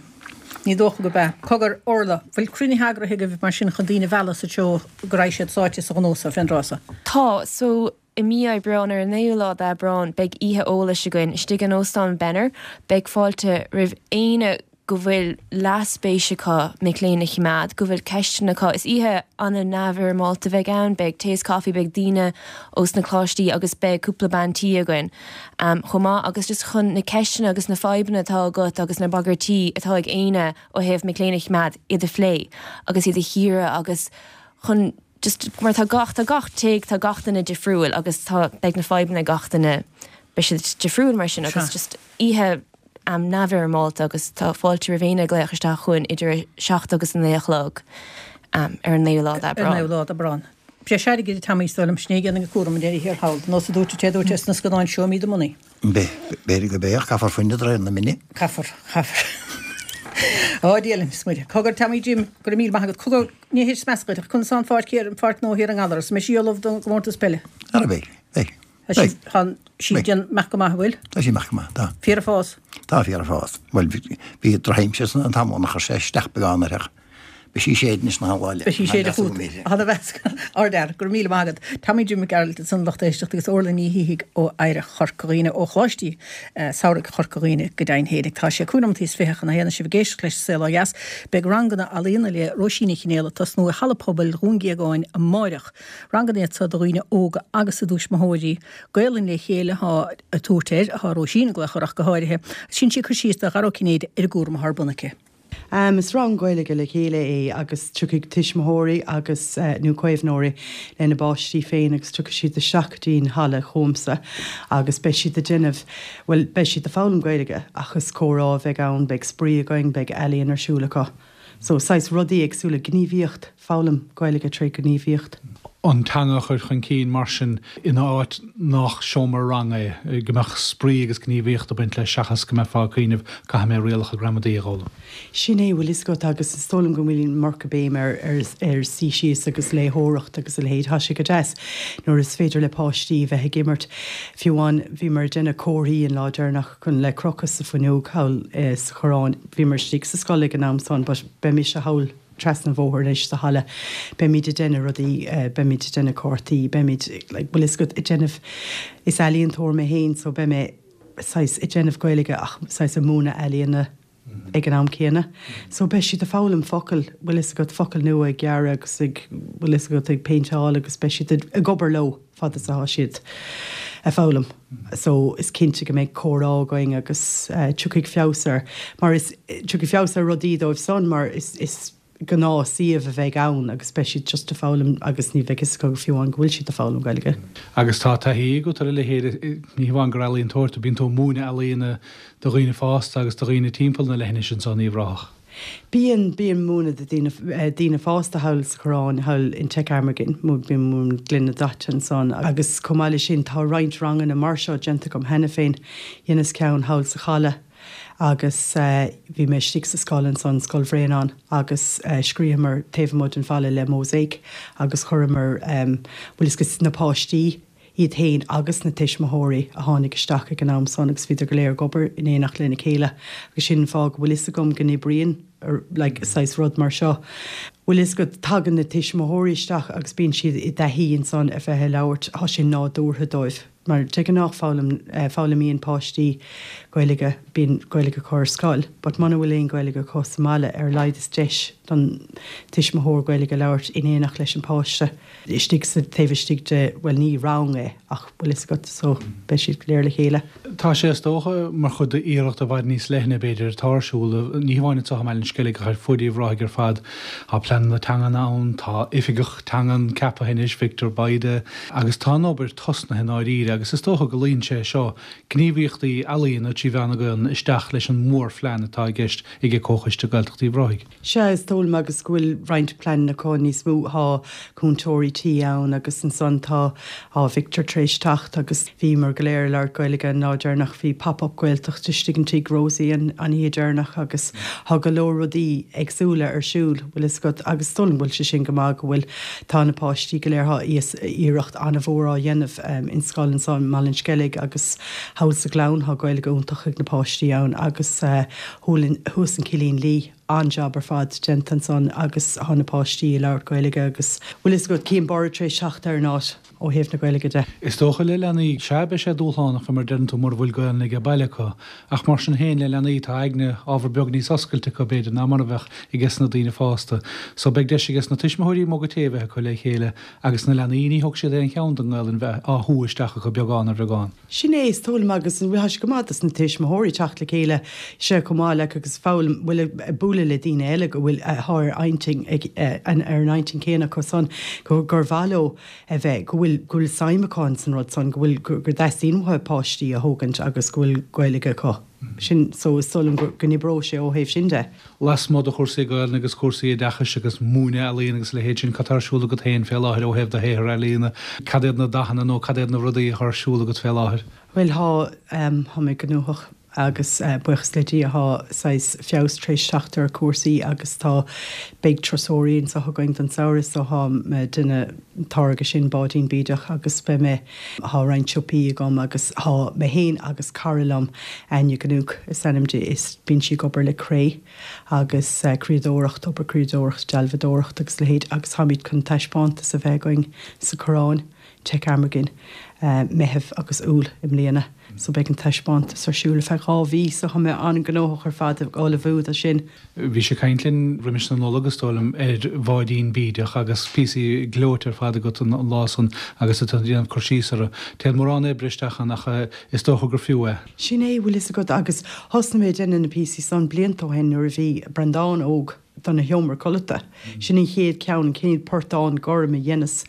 Ní dócha gurb ea. Cogar, Orla, bhfuil cruinnithe eagraithe agaibh mar sin chun daoine a mhealladh sa treo go raghaidh siad sáite sa ghnó so fén dtráth so? Tá. So, i mí Aibreáin, ar an naoú lá d'Aibreán, beidh oíche eolais againn istigh in Óstán Benner. Beidh fáilte roimh éinne go bhfuil leathspéis acu mic léinn a choimeád, go bhfuil ceisteanna acu. Is oíche an-neamhfhoirmeálta a bheidh ann, beidh tae is coffee, beidh daoine ós na coláistí agus beidh cúpla bean tí againn chomh maith agus just chun na ceisteanna agus na fadhbanna atá agat agus na bagairtí atá ag éinne ó thaobh mic léinn a choimeád, iad a phlé agus iad a chíoradh agus chun just mar tá gach, tá gach tigh, tá gach duine difriúil agus tá, beidh na fadhbanna ag gach duine, beidh siad difriúil mar sin agus just oíche neamhfhoirmeálta agus tá fáilte roimh éinne glaoch isteach chugainn idir a 7 agus a 9 a chlog ar an 9ú lá d'Aibreán. Ar an 9ú lá d'Aibreán. Breis airgid a Tommy is dóigh liom, sin é a dhéanann an cúram i ndeireadh thiar thall, nós a dúirt an té a dúirt é sna scannáin show me the money. B'fhéidir gurb é ach caithfear fuinneamh de réir na mine. Caithfear, caithfear. Ó Dia linn, is Muire. Cogar Tommy Jim, go raibh míle maith agat. Cogar, ní hé smeas dhuit ach conas tá an pháirc thiar, an pháirc nua thiar i nGallaras, an mbeidh sí ullamh don gcomórtas peile? Ara beidh, beidh. Tá sí, tá sí ag déanamh go maith, an bhfuil? Tá sí ag imeacht go maith, tá. Fíor ag fás? Tá fíor ag fás. Bhuel, bhí drochaimsir san an t-am ann a chuir sé isteach beagán uirthi ach beidh sí séidte anois na lá eile. Beidh sí séidte fút. Tá mheasc. Ardfhear, go raibh míle maith agat. Tommy Jim Mac Gearailt ansan lucht éisteachta agus Orla Ní Shíthigh ó Oidhreacht Chorca Dhuibhne, ó Choláistí Samhraidh Chorca Dhuibhne go deimhin fhéinig. Tá sé 25 nóimeataí chun a haon sibh ag éisteacht leis Saol Ó Dheas. Beidh ranganna ealaíona le Róisín Ní Chinéal ag tosnú i Halla Pobail Dhún Géagáin amáireach. Ranganna iad seo do dhaoine óga agus a dtuismitheoirí. Gaolainn le chéile atá á tabhairt air, atá Róisín ag glaoch air ach go háirithe. Sin sí ag cur síos do Dhara Ó Cinnéide ar an gcúram atá ar bun aici. Is rang Gaeilge le chéile é agus tiocfaidh tuismitheoirí agus, nó caomhnóirí lena bpáistí féin agus tiocfaidh siad isteach go dtí'n halla chugamsa agus beidh siad ag déanamh, bhuel, beidh siad ag foghlaim Gaeilge ach is comhrá a bheidh ann, beidh spraoi againn, beidh ealaíon ar siúl acu. So, saghas rudaí éagsúla, gníomhaíocht, foghlaim Gaeilge tré ghníomhaíocht. An teanga a chur chun cinn mar sin in áit nach seomra ranga é, go mbeadh spraoi agus gníomhaíocht ag baint leis seachas go mbeifeá ag cuimhneamh caithfidh mé rialacha gramadaí a dh'fhoghlaim. Sin é, bhfuil fhios agat, agus is dóigh liom go bhfuil an iomarca béim ar ar suí síos agus léitheoireacht agus a leithéid. Tá sé go deas nuair is féidir le páistí bheith ag imirt. Fiú amháin bhíomar ag déanamh comharthaí an lá deireanach chun le crochadh sa fuinneog thall sa Choireán. Bhíomar istigh sa scoil ag an am san but beidh mise thall trasna an bhóthair anois sa halla. Beimid ag déanamh rudaí, beimid ag déanamh cártaí, beimid like bhfuil fhios agat ag déanamh, is ealaíontóir mé féin so beidh mé saghas ag déanamh Gaeilge ach saghas ag múineadh ealaíona ag an am céanna. So beidh siad ag foghlaim focail, bhfuil fhios agat, focail nua ag gearradh agus ag, bhfuil fhios agat, ag péinteáil agus beidh siad ag obair leo. fad is atá siad ag foghlaim. So is cinnte go mbeidh comhrá againn agus tiocfaidh feabhas ar, mar is, tiocfaidh feabhas ar rudaí dóibh san mar is, is gnáth suíomh a bheidh ann agus beidh siad just ag foghlaim agus ní bheidh fhios acu fiú amháin go bhfuil siad ag foghlaim Gaeilge. Agus tá taithí agat ar a leithéid, ní hamháin gur ealaíontóir tú, bíonn tú ag múineadh ealaíona do dhaoine fásta agus do dhaoine timpeall na leithinise anso in Uíbh Ráthach. Bíonn, bím ag múineadh do daoine, daoine fásta thall sa Choireán, thall in Teic Amergin, bím ag múineadh gloine daite ansan agus chomh maith leis sin tá roinnt ranganna mar seo déanta agam cheana féin. Dheineas ceann thall sa Chaladh agus bhí mé istigh sa scoil ansan, Scoil Bhréanainn, agus scríobhamar taobh amuigh den bhalla le mosaic agus chuireamar, bhfuil fhios agat, na páistí. Iad féin agus na tuismitheoirí a tháinig isteach ag an am san agus bhíodar go léir ag obair in éineacht lena chéile agus sin an fáth go bhfuil fhios agam go n-oibríonn like saghas rud mar seo. Bhfuil fhios agat, tagann na tuismitheoirí isteach agus bíonn siad i dtaithí ansan a bheith ag labhairt, tá sé nádúrtha dóibh. Mar de ghnáth foghlaim, foghlaimíonn páistí Gaeilge, bíonn Gaeilge acu ar scoil, but muna bhfuil aon Ghaeilge acu sa mbaile, ar a laghad is deis don tuismitheoir Gaeilge a labhairt in éineacht leis an páiste istigh sa, taobh istigh de, bhuel ní rang é ach bhfuil fhios agat, so beidh siad go léir le chéile. Tá sé is dócha mar chuid d'iarracht i bhfad níos leithne b'fhéidir atá ar siúl, ní hamháin anseo i mBaile an Sceilg ach ar fuaid Uíbh Ráthaigh ar fad. Tá pleananna teangan ann, tá oifigeach teangan ceaptha anois, Victor Bayda, agus tá an obair tosnaithe i ndáiríre agus is dócha go luíonn sé seo, gníomhaíochtaí ealaíona trí mheán na Gaelainne, isteach leis an mhórphlean atá i gceist ag Comhchoiste Gaeltacht Uíbh Ráthaigh. Sea, is dóigh liom agus go bhfuil roinnt pleananna acu níos mó, tá cúntóirí tí ann agus ansan tá, tá Victor tar éis teacht agus bhíomar go léir ag labhairt Gaeilge an lá deireanach, bhí Pop Up Gaeltacht istigh in tigh Rosie an oíche deireanach agus tá go leor rudaí éagsúla ar siúl, bhfuil fhios agat, agus is dóigh liom go bhfuil sé sin go maith go bhfuil, tá na páistí go léir, tá iarracht an-mhór á dhéanamh in scoil anso i mBaile an Sceilg agus thall sa Ghleann, tá Gaeilge iontach ag na páistí ann agus thuas in Cillín Liath. An-jab ar fad déanta ansan agus thá na páistí ag labhairt Gaeilge agus bhfuil fhios agat cím borradh tar éis teacht ar an áit ó thaobh na Gaeilge de. Is dócha le leanaí, sea beidh sé dúshlánach fé mar a deireann tú mura bhfuil Gaelainn aige baile acu ach mar sin féin le leanaí tá aigne ábhar beag níos oscailte acu b'fhéidir ná mar a bheadh aiges na daoine fásta. So beidh deis aiges na tuismitheoirí mug tae a bheith acu le chéile agus na leanaí ní thógfaidh siad aon cheann den nGaelainn bheith á shú isteach acu beagán ar bheagán. Sin é, is dóigh liom agus tá sé go maith dos na tuismitheoirí teacht le chéile, sea chomh maith like agus foghlaim, bhuel ag bualadh le daoine eile go bhfuil, atá ar intinn ag, ar an intinn céanna acu san, gur mhaith leo a bheith, go bhfuil, go bhfuil suim acu ins an rud san, go bhfuil, go dteastaíonn uathu páistí a thógaint agus go bhfuil Gaeilge acu. Sin, so is dóigh liom go n-oibreoidh sé ó thaobh sin de. Lasmuigh de chúrsaí Gaelainne agus cúrsaí oideachais agus múineadh ealaíon agus a leithéid sin, cad tá ar siúl agat féin fé láthair ó thaobh do shaothar ealaíona? Cad iad na dathanna nó cad iad na rudaí atá ar siúl agat fé láthair? Bhuel, thá, thá mé gnóthach agus buíochas le Dia thá saghas feabhas tar éis teacht ar chúrsaí agus tá, beidh turasóirí anseo againn don samhradh so thá mé ag déanamh an táirge sin, báidín bídeach agus beidh mé, thá roinnt siopaí agam agus thá mé féin agus cara liom, Áine Gnúc is ainm di, is bíonn sí ag obair le cré agus criadóireacht, obair criadóireacht, dealbhadóireacht agus a leithéid agus táimid chun taispeántas a bheith againn sa Choireán, Teic Amergin, Meitheamh agus Iúil i mbliana. So beidh an taispeántas ar siúl ar feadh 2 mhí so tá mé an-ghnóthach ar fad ag ullmhú do sin. Bhís ag caint linn roimis na Nollag, is dóigh liom, ar bháidín bídeach agus píosaí gleoite ar fad agat an lá san agus tú ag déanamh cur síos orthu. Téann mórán oibre isteach ann ach is dócha gur fiú é. Sin é, bhfuil fhios agat, agus thosnaigh mé ag déanamh na píosaí san blianta ó shin nuair a bhí Breandán óg. dona sheomra codlata. Sin an chéad ceann, an chéad portán gorm a dheineas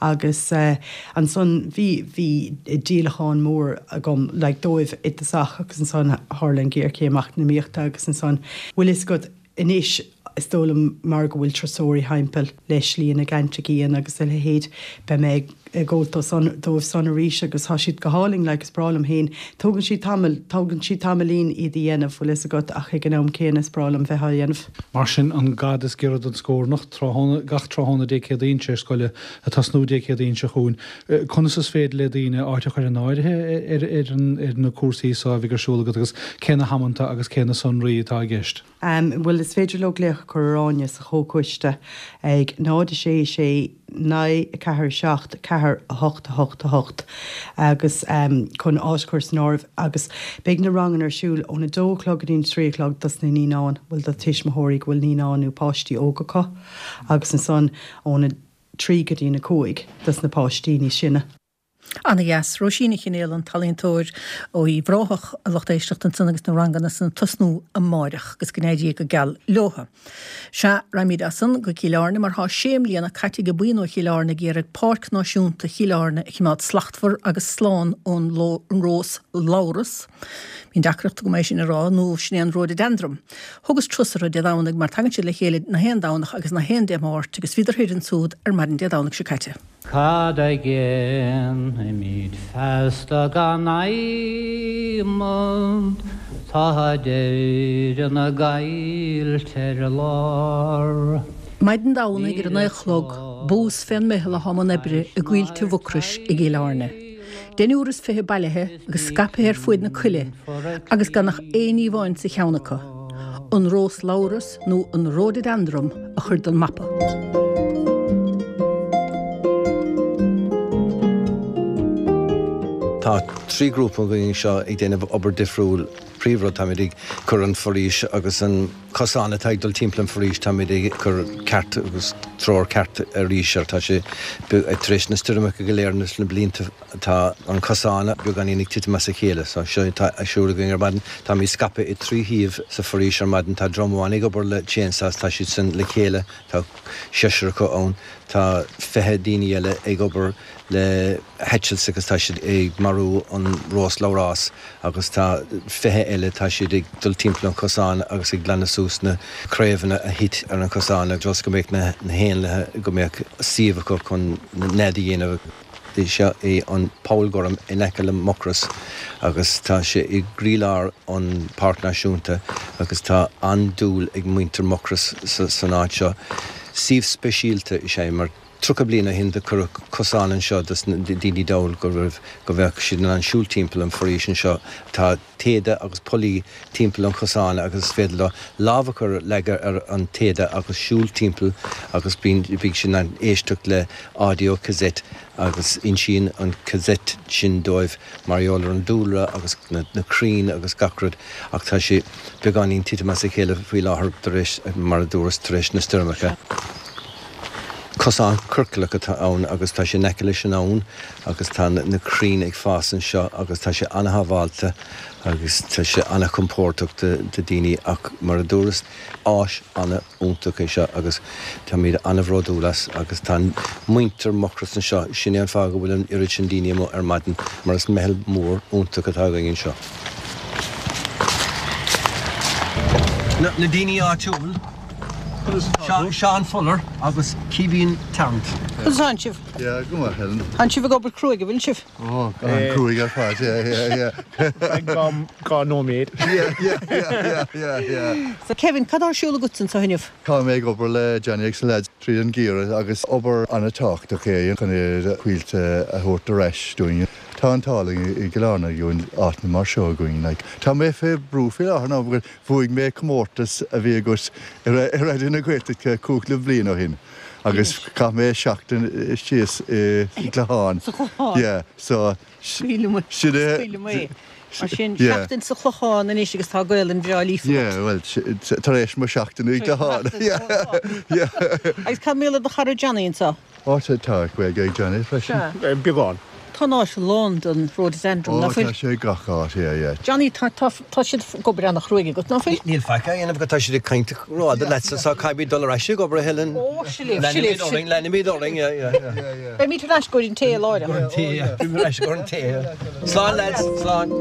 agus ansan bhí, bhí díolachán mór agam like dóibh i dtosach agus ansan tharla an ghéarchéim eacnamaíochta agus ansan, bhfuil fhios agat, anois is dóigh liom mar go bhfuil turasóirí thimpeall le Slí na gCeannt agus a leithéid, beidh mé ag. ag gabháil dó san, dóibh san arís agus thá siad go hálainn like is breá liom féin. Tógann siad tamall, tógann siad tamaillín iad a dhéanamh, bhfuil fhios agat, ach ag an am céanna is breá liom bheith á dhéanamh. Mar sin, an gad is giorra don scórnach, tráthnóna, gach tráthnóna Dé Céadaoin tar éis scoile, ag tosnú Dé Céadaoin seo chugainn. Conas is féidir le daoine áit a chur in áirithe ar, ar an, ar na cúrsaí so a bheidh ar siúl agat agus cé na hamanta agus cé na sonraí atá i gceist? Bhuel, is féidir leo glaoch a chur ar Áine sa Chomhchoiste ag 0 6 6 9 4 7 4 8 8 8 agus chun áit a chur san áireamh agus beidh na ranganna ar siúl ón 2 a chlog go dtí an 3 a chlog dos na naíonáin, bhuel do tuismitheoirí go bhfuil naíonáin nó páistí óga acu agus ansan ón 3 go dtí an 5 dos na páistí níos sine. Ana dheas. Róisín Ní Chinéal, an t-ealaíontóir ó Uíbh Ráthach, a lucht éisteachta ansan agus na ranganna san ag tosnú amáireach agus go n-éirí go geal leotha. Sea, raghaimid as san go Cill Airne mar thá sé mbliana caite ag buíon ó Chill Airne ag iarraidh Páirc Náisiúnta Chill Airne a chimeád slachtmhar agus slán ón rós labhras, bíonn deacracht agam é sin a rá, nó sin é an ródaideandram. Thugas turas orthu Dé Domhnaigh mar tagann siad le chéile na haon Domhnach agus na haon Dé Máirt agus bhíodar thoir ansúd ar maidin Dé Domhnaigh seo caite. Cad a dhéanfaimid feasta gan adhmad, tá deireadh na gcaillte ar lár. Maidin Domhnaigh ar a naoi a chlog, bús fén meitheal athá i mbun oibre i gCoillte Mhucrois i gCill Airne. Deichniúr is 20 bailithe agus scaipthe ar fuaid na coille agus gan ach aon ní amháin sa cheann acu, an rós labhras nó an ródaideandram a chur den mapa. Tá 3 grúpa againn anseo ag déanamh obair difriúil. Príomhrud, táimid ag cur an foraois agus an cosán atá ag dul timpeall an foraois, táimid ag cur ceart agus treoir ceart arís air. Tá sé tar éis na stoirmeacha go léir na blianta tá an cosán beagáinín ag titim as a chéile. So seo atá ar siúl againn ar maidin. Táimid scaipthe i dtrí shuíomh sa foraois ar maidin. Tá dream amháin ag obair le chainsaws, tá siad san le chéile, tá seisear acu ann. Tá 20 daoine eile ag obair le hatchets agus tá siad ag marú an rós labhrás agus tá 20 eile, tá siad ag dul timpeall an chosáin agus ag glanadh suas na craobhanna a thit ar an chosán just go mbeadh na héanlaithe, go mbeadh suíomh acu chun nead a dhéanamh. Seo é an Poll Gorm in aice le Mucros agus tá sé i gcroílár an Páirc Náisiúnta agus tá an-dúil ag muintir Mucros san áit seo. Suíomh speisialta is ea é mar. 30 bliain ó shin do cuireadh cosán anseo dos na daoine dall go raibh, go mbeadh siad in ann siúl timpeall an foraois anseo. Tá téada agus pollaí timpeall an chosáin agus is féidir leo lámh a chur, leagadh ar an téada agus siúl timpeall agus bíonn, bíonn siad in ann éisteacht le audio cassette agus insíonn an cassette sin dóibh mar gheall ar an dúlra agus na crainn agus gach rud ach tá sé beagáinín titim as a chéile faoi láthair tar éis, mar a dúras, tar éis na stoirmeacha. Cosán ciorclach atá ann agus tá sé in aice leis an abhainn agus tá na crainn ag fás anseo agus tá sé an-shábháilte agus tá sé an-chompordach do daoine ach mar a dúras, áis an-iontach é seo agus táimid an-bhródúil as agus tá muintir Mhucrois anseo, sin é an fáth go bhfuil an oiread sin daoine amuigh ar maidin mar is meitheal mór iontach atá againn anseo. Na daoine áitiúil. Seán Fuller agus Caoimhín Tarrant. Conas tánn sibh? Yeah, go maith, Helen. Tánn sibh ag obair cruaidh, an bhfuil sibh? Oh, an-cruaidh ar fad, yeah, yeah, yeah. Dhá nóiméad. Yeah, yeah, yeah, yeah, yeah. So Kevin, cad tá ar siúl agat anseo inniu? Tá mé ag obair le Johnny agus na lads tríd an gheimhreadh agus obair an-tábhachtach é chun na coillte a thabhairt ar ais dúinn. Tá an t-ádh linn i gCill Airne go bhfuil áiteanna mar seo againn. Like, tá mé fé brú faoi láthair now because Bhuaigh mé comórtas a bhí agat i Raidió na Gaeltachta cúpla bliain ó shin agus chaith mé seachtain síos i gClochán. Sa Chlochán? Yeah, so sin é. Scaoileadh mé. Mar sin, seachtain sa Chlochán anois agus tá Gaelainn bhreá líofa agat. Yeah, well, tar éis mo sheachtain i gClochán. Yeah, yeah. Agus cad mar gheall ar do chara Johnny anseo? Ó tá Gaeilge ag Johnny freisin. Sea. Beagán. Tá an áit lán den rhododendron, ná fuil? Ó tá sé gach áit, yeah, yeah. Johnny, tá, tá, tá siad ag obair an-chruaidh agat, ná fuil? Níl faic á dhéanamh agat, tá siad ag caint rófhada leatsa, so caithfimid dul ar ais ag obair, a Helen. Ó, sin libh, sin libh. Leanfaimid orainn, leanfaimid orainn, yeah, yeah, yeah. Beimid ar ais go dtí an tae láithreach. Go an tae, yeah. Beimid ar ais go an tae, yeah. Slán lads, slán.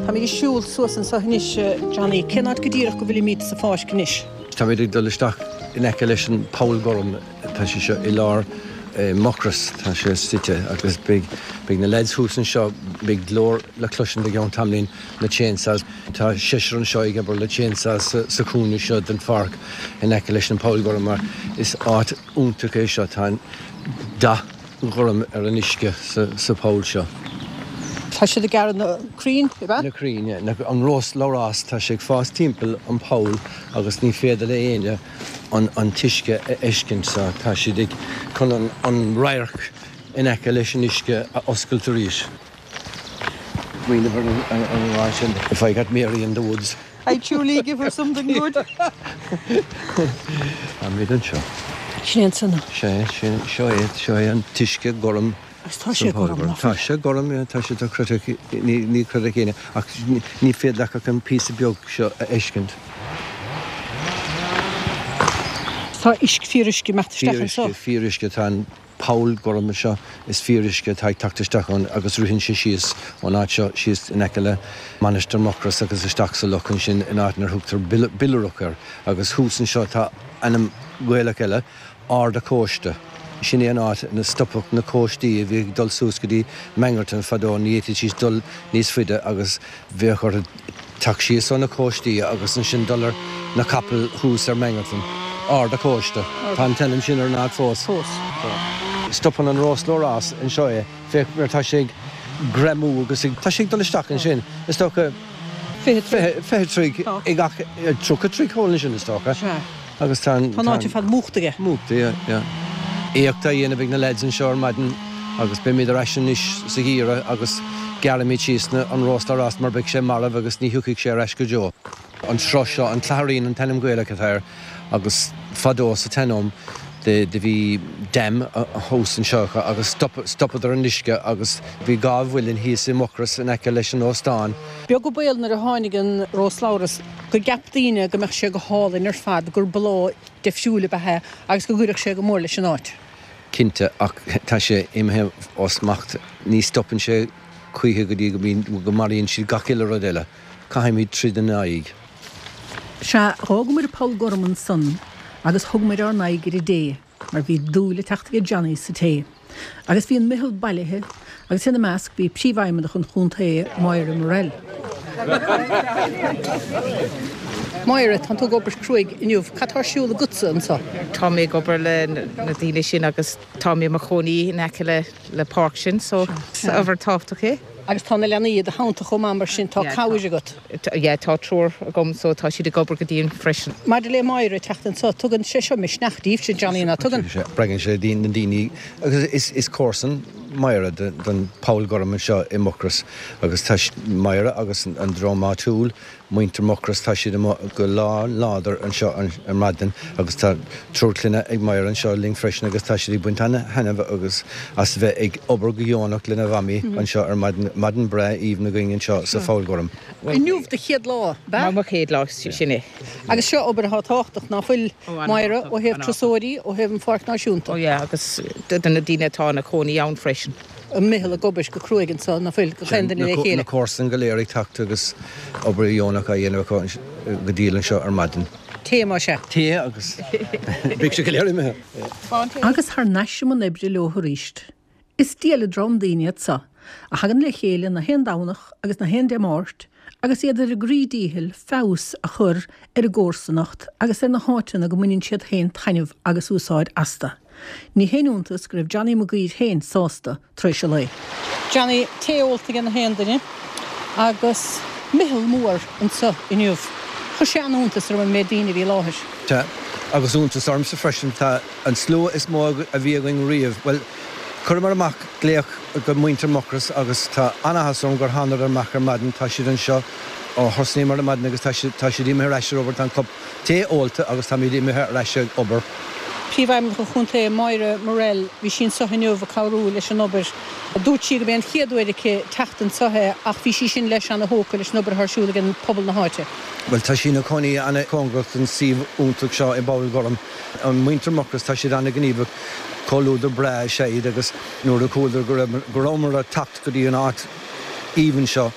Táimid ag siúl suas anseo anois, Johnny. Cén áit go díreach go bhfuilimid sa pháirc anois? Táimid ag dul isteach in aice leis an Poll Gorm. Tá sé seo i lár Mucros, tá sé suite agus beidh beidh na lads thuas anseo, beidh glór le cloisint i gceann tamaillín, na chainsaws. Tá seisear anseo ag obair le chainsaws sa chúinne seo den pháirc in aice leis an Poll Gorm mar is áit iontach é seo. Tá an dath gorm ar an uisce sa pholl seo. Tá siad ag gearradh na crainn, ab ea? Na crainn, yeah. An rós labhrás, tá sé ag fás timpeall an poll agus ní féidir le éinne an t-uisce a fheiscint so tá siad ag chun an radharc in aice leis an uisce a oscailt arís. Smaoineamh ar an amhrán sin, If I got Mary in the woods. I'd surely give her something good. Táimid anseo. Sin é ansan. Sea, sin, seo é, seo é an t-uisce gorm. Agus tá sé gorm, nach bhfuil? Tá sé gorm, yeah, tá sé dochreidte, ní, ní chreidfeadh éinne, ach ní féidir leat ach an píosa beag seo a fheiscint. Tá uisce, fíoruisce ag imeacht isteach anseo. Fíoruisce, fíoruisce, tá an. Poll gorm seo, is fíoruisce atá ag teacht isteach ann agus ritheann sé síos ón áit seo síos in aice le Mainistir Mucros agus isteach sa loch ansin in áit inar thugtar Billrock air agus thuas anseo tá ainm Gaelach eile, Ard a' Chóiste. Sin é an áit ina stopadh na cóistí a bhí ag dul suas go dtí Mangerton fadó, ní fhéadfaidís dul níos faide agus bheadh orthu. Teacht síos ó na cóistí agus ansin dul ar na capaill thuas ar Mangerton. Ard a' Chóiste. Tá an t-ainm sin ar an áit fós. Fós. Stopann an Rós Labhrás anseo é. Féach mar tá sé ag greamú agus ag, tá sé ag dul isteach ansin. Is dócha 20 troigh ag gach, 30 troigh thall ansin is dócha. Sea. Agus tá an. Tá an áit ar fad múchta aige. Múchta, yeah, yeah. Éacht á dhéanamh ag na leaids anseo ar maidin agus beimid ar ais anois sa gheimhreadh agus gearrfaimid síos na, an rós labhrás mar beidh sé marbh agus ní thiocfaidh sé ar ais go deo. An sruth seo, an Cladhairín an t-ainm Gaelach atá air agus fadó sa tsean-am do bhí dam thuas anseo acu agus stop, stopadar an uisce agus bhí dhá mhuileann thíos i Mucros in aice leis an óstán. Beag an baol nuair a tháinig an rós labhrás go gceap daoine go mbeadh sé go hálainn ar fad, gur bláth deifriúil ab ea é agus go gcuirfeadh sé go mór leis an áit. Cinnte, ach tá sé imithe ó smacht. Ní stopann sé choíche go dtí go mbíonn, go maraíonn siad gach uile rud eile. Caithfimid troid ina aghaidh. Sea, dh'fhágamair an Poll Gorm ansan agus thugamair ár n-aghaidh ar an dté mar bhí dúil ag teacht aige Johnny sa tae. Agus bhí an meitheal bailithe agus ina measc bhí Príomhfheidhmeannach an chontae, Máire Morrell. Máire, tánn tú ag obair cruaidh inniu. Cad tá ar siúl agatsa anso? Tá mé ag obair le na daoine sin agus tá mé i mo chónaí in aice le páirc sin so is obair tábhachtach é. Agus tá na leanaí i do theannta chomh maith mar sin tá cabhair agat. Yeah, tá triúr agam so tá siad ag obair go dian freisin. Maidir le Máire ag teacht anso, tugann sé seo misneach daoibhse, Johnny, ná tugann? Spreagann sé na daoine agus is comharsan Máire don Poll Gorm anseo i Mucros agus tá Máire agus an dream áitiúil Muintir Mhucrois, tá siad amuigh go lán-láidir anseo ar maidin agus tá triúr clainne ag Máire anseo linn freisin agus tá siad ag baint ana-thaitneamh agus as bheith ag obair go dheonach lena mhamaí anseo ar maidin. Maidin breá aoibhinn againn anseo sa Pholl Gorm. Inniu do chéad lá, ab ea? Mo chéad lá, sin é. Agus seo obair atá tábhachtach, ná fuil, Máire, ó thaobh turasóirí, ó thaobh an Pháirc Náisiúnta? Ó yeah, agus do na daoine atá ina cónaí ann freisin. an meitheal ag obair go cruaidh anso, ná fuil, gach aon duine le chéile. Na comharsain go léir ag teacht agus obair dheonach á dhéanamh acu go diail anseo ar maidin. Tae más ea. Tae agus beidh siad go léir imithe. Agus thar n-ais i mbun oibre leo arís. Is diail an dream daoine iad so, a thagann le chéile na haon Domhnach agus na haon Dé Máirt agus iad ar a gcroí díchill feabhas a chur ar an gcomharsanacht agus ar na háiteanna go mbaineann siad féin taitneamh agus úsáid astu. Ní haon iontas go raibh Johnny Mac Uidhir féin sásta tar éis an lae. Johnny, tae ólta ag na haon duine agus meitheal mór anseo inniu. Chuir sé an-iontas orm an méid daoine a bhí i láthair. Tá, agus iontas ormsa freisin. Tá an slua is mó a bhí againn riamh. Bhuel, chuireamar amach glaoch go muintir Mhucrois agus tá an-áthas orm gur thánadar amach ar maidin. Tá siad anseo ó thosnaíomar ar maidin agus tá siad imithe ar ais ar obair. Tá an cup Tae ólta agus táimid imithe ar ais ag obair. Príomhfheidhmeannach an Chontae, Máire Morrell, bhí sí anseo inniu ag cabhrú leis an obair. Dúirt sí gurb é an chéad uair aici teacht anseo é ach bhí sí sin leis ana-thógtha leis an obair atá ar siúl ag an pobal na háite. Bhuel, tá sí ina cónaí ana-chóngarach don suíomh iontach seo i bPoll Gorm. An muintir Mucros, tá siad ana-ghníomhach, comhluadar breá is ea iad agus nuair a chualadar go raibh, go rabhamar ag teacht go dtí an áit aoibhinn seo,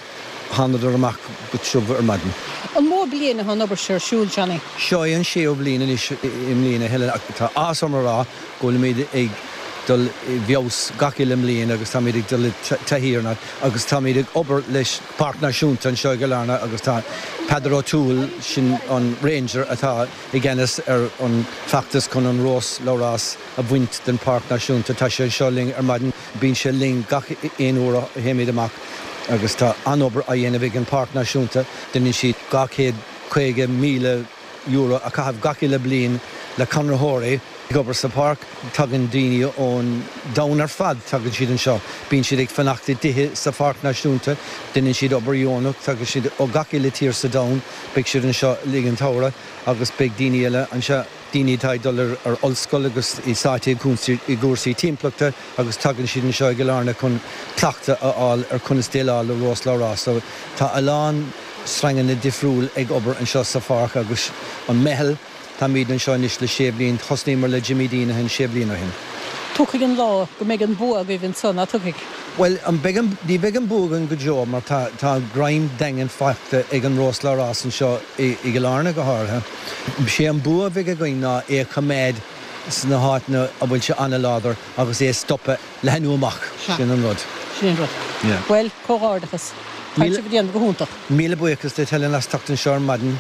Thánadar amach go tiubh ar maidin. An mó bliain atá an obair seo ar siúl, Johnny? Seo é an séú bliain anois i mbliana, Helen, ach tá áthas orm a rá go bhfuilimid ag dul i bhfeabhas gach uile mbliain agus táimid ag dul i dtaithí ar an áit agus táimid ag obair leis Páirc Náisiúnta anseo i gCill Airne agus tá Peadar O'Toole, sin an Ranger atá i gceannas ar an bhfeachtas chun an rós labhrás a bhaint den Pháirc Náisiúnta. Tá sé anseo linn ar maidin. Bíonn sé linn gach aon uair a théimid amach agus tá an-obair á dhéanamh ag an Pháirc Náisiúnta. Déanann siad €250,000 a chaitheamh gach uile bliain le conraitheoirí ag obair sa pháirc. Tagann daoine ón domhan ar fad, tagann siad anseo. Bíonn siad ag fanacht i dtithe sa Pháirc Náisiúnta. Déanann siad obair dheonach. Tagann siad ó gach uile tír sa domhan. Beidh siad anseo le linn an tsamhraidh agus beidh daoine eile anseo. daoine atá ag dul ar ollscoil agus iad sáite i gcúrsaí timpeallachta agus tagann siad anseo i gCill Airne chun cleachtadh a fháil ar conas déileáil le rós labhrás. So tá a lán sranganna difriúil ag obair anseo sa pháirc agus an meitheal, táimid anseo anois le sé bhliain, thosnaíomar le Jimmy Deenihan sé bliana ó shin. Tiocfaidh an lá go mbeidh an bua agaibh anso, ná tiocfaidh? Bhuel, an beidh an, ní bheidh an bua againn go deo mar tá, tá greim daingean faighte ag an rós labhrás anseo i gCill Airne go háirithe. Sé an bua a bheidh againn ná é a choimeád sna háiteanna a bhfuil sé an-láidir agus é a stopadh leathnú amach. Sin an rud. Sin an rud. Bhuel, comhghairdeachas. Tá sibh ag déanamh go hiontach. Míle buíochas duit Helen as teacht anseo ar maidin.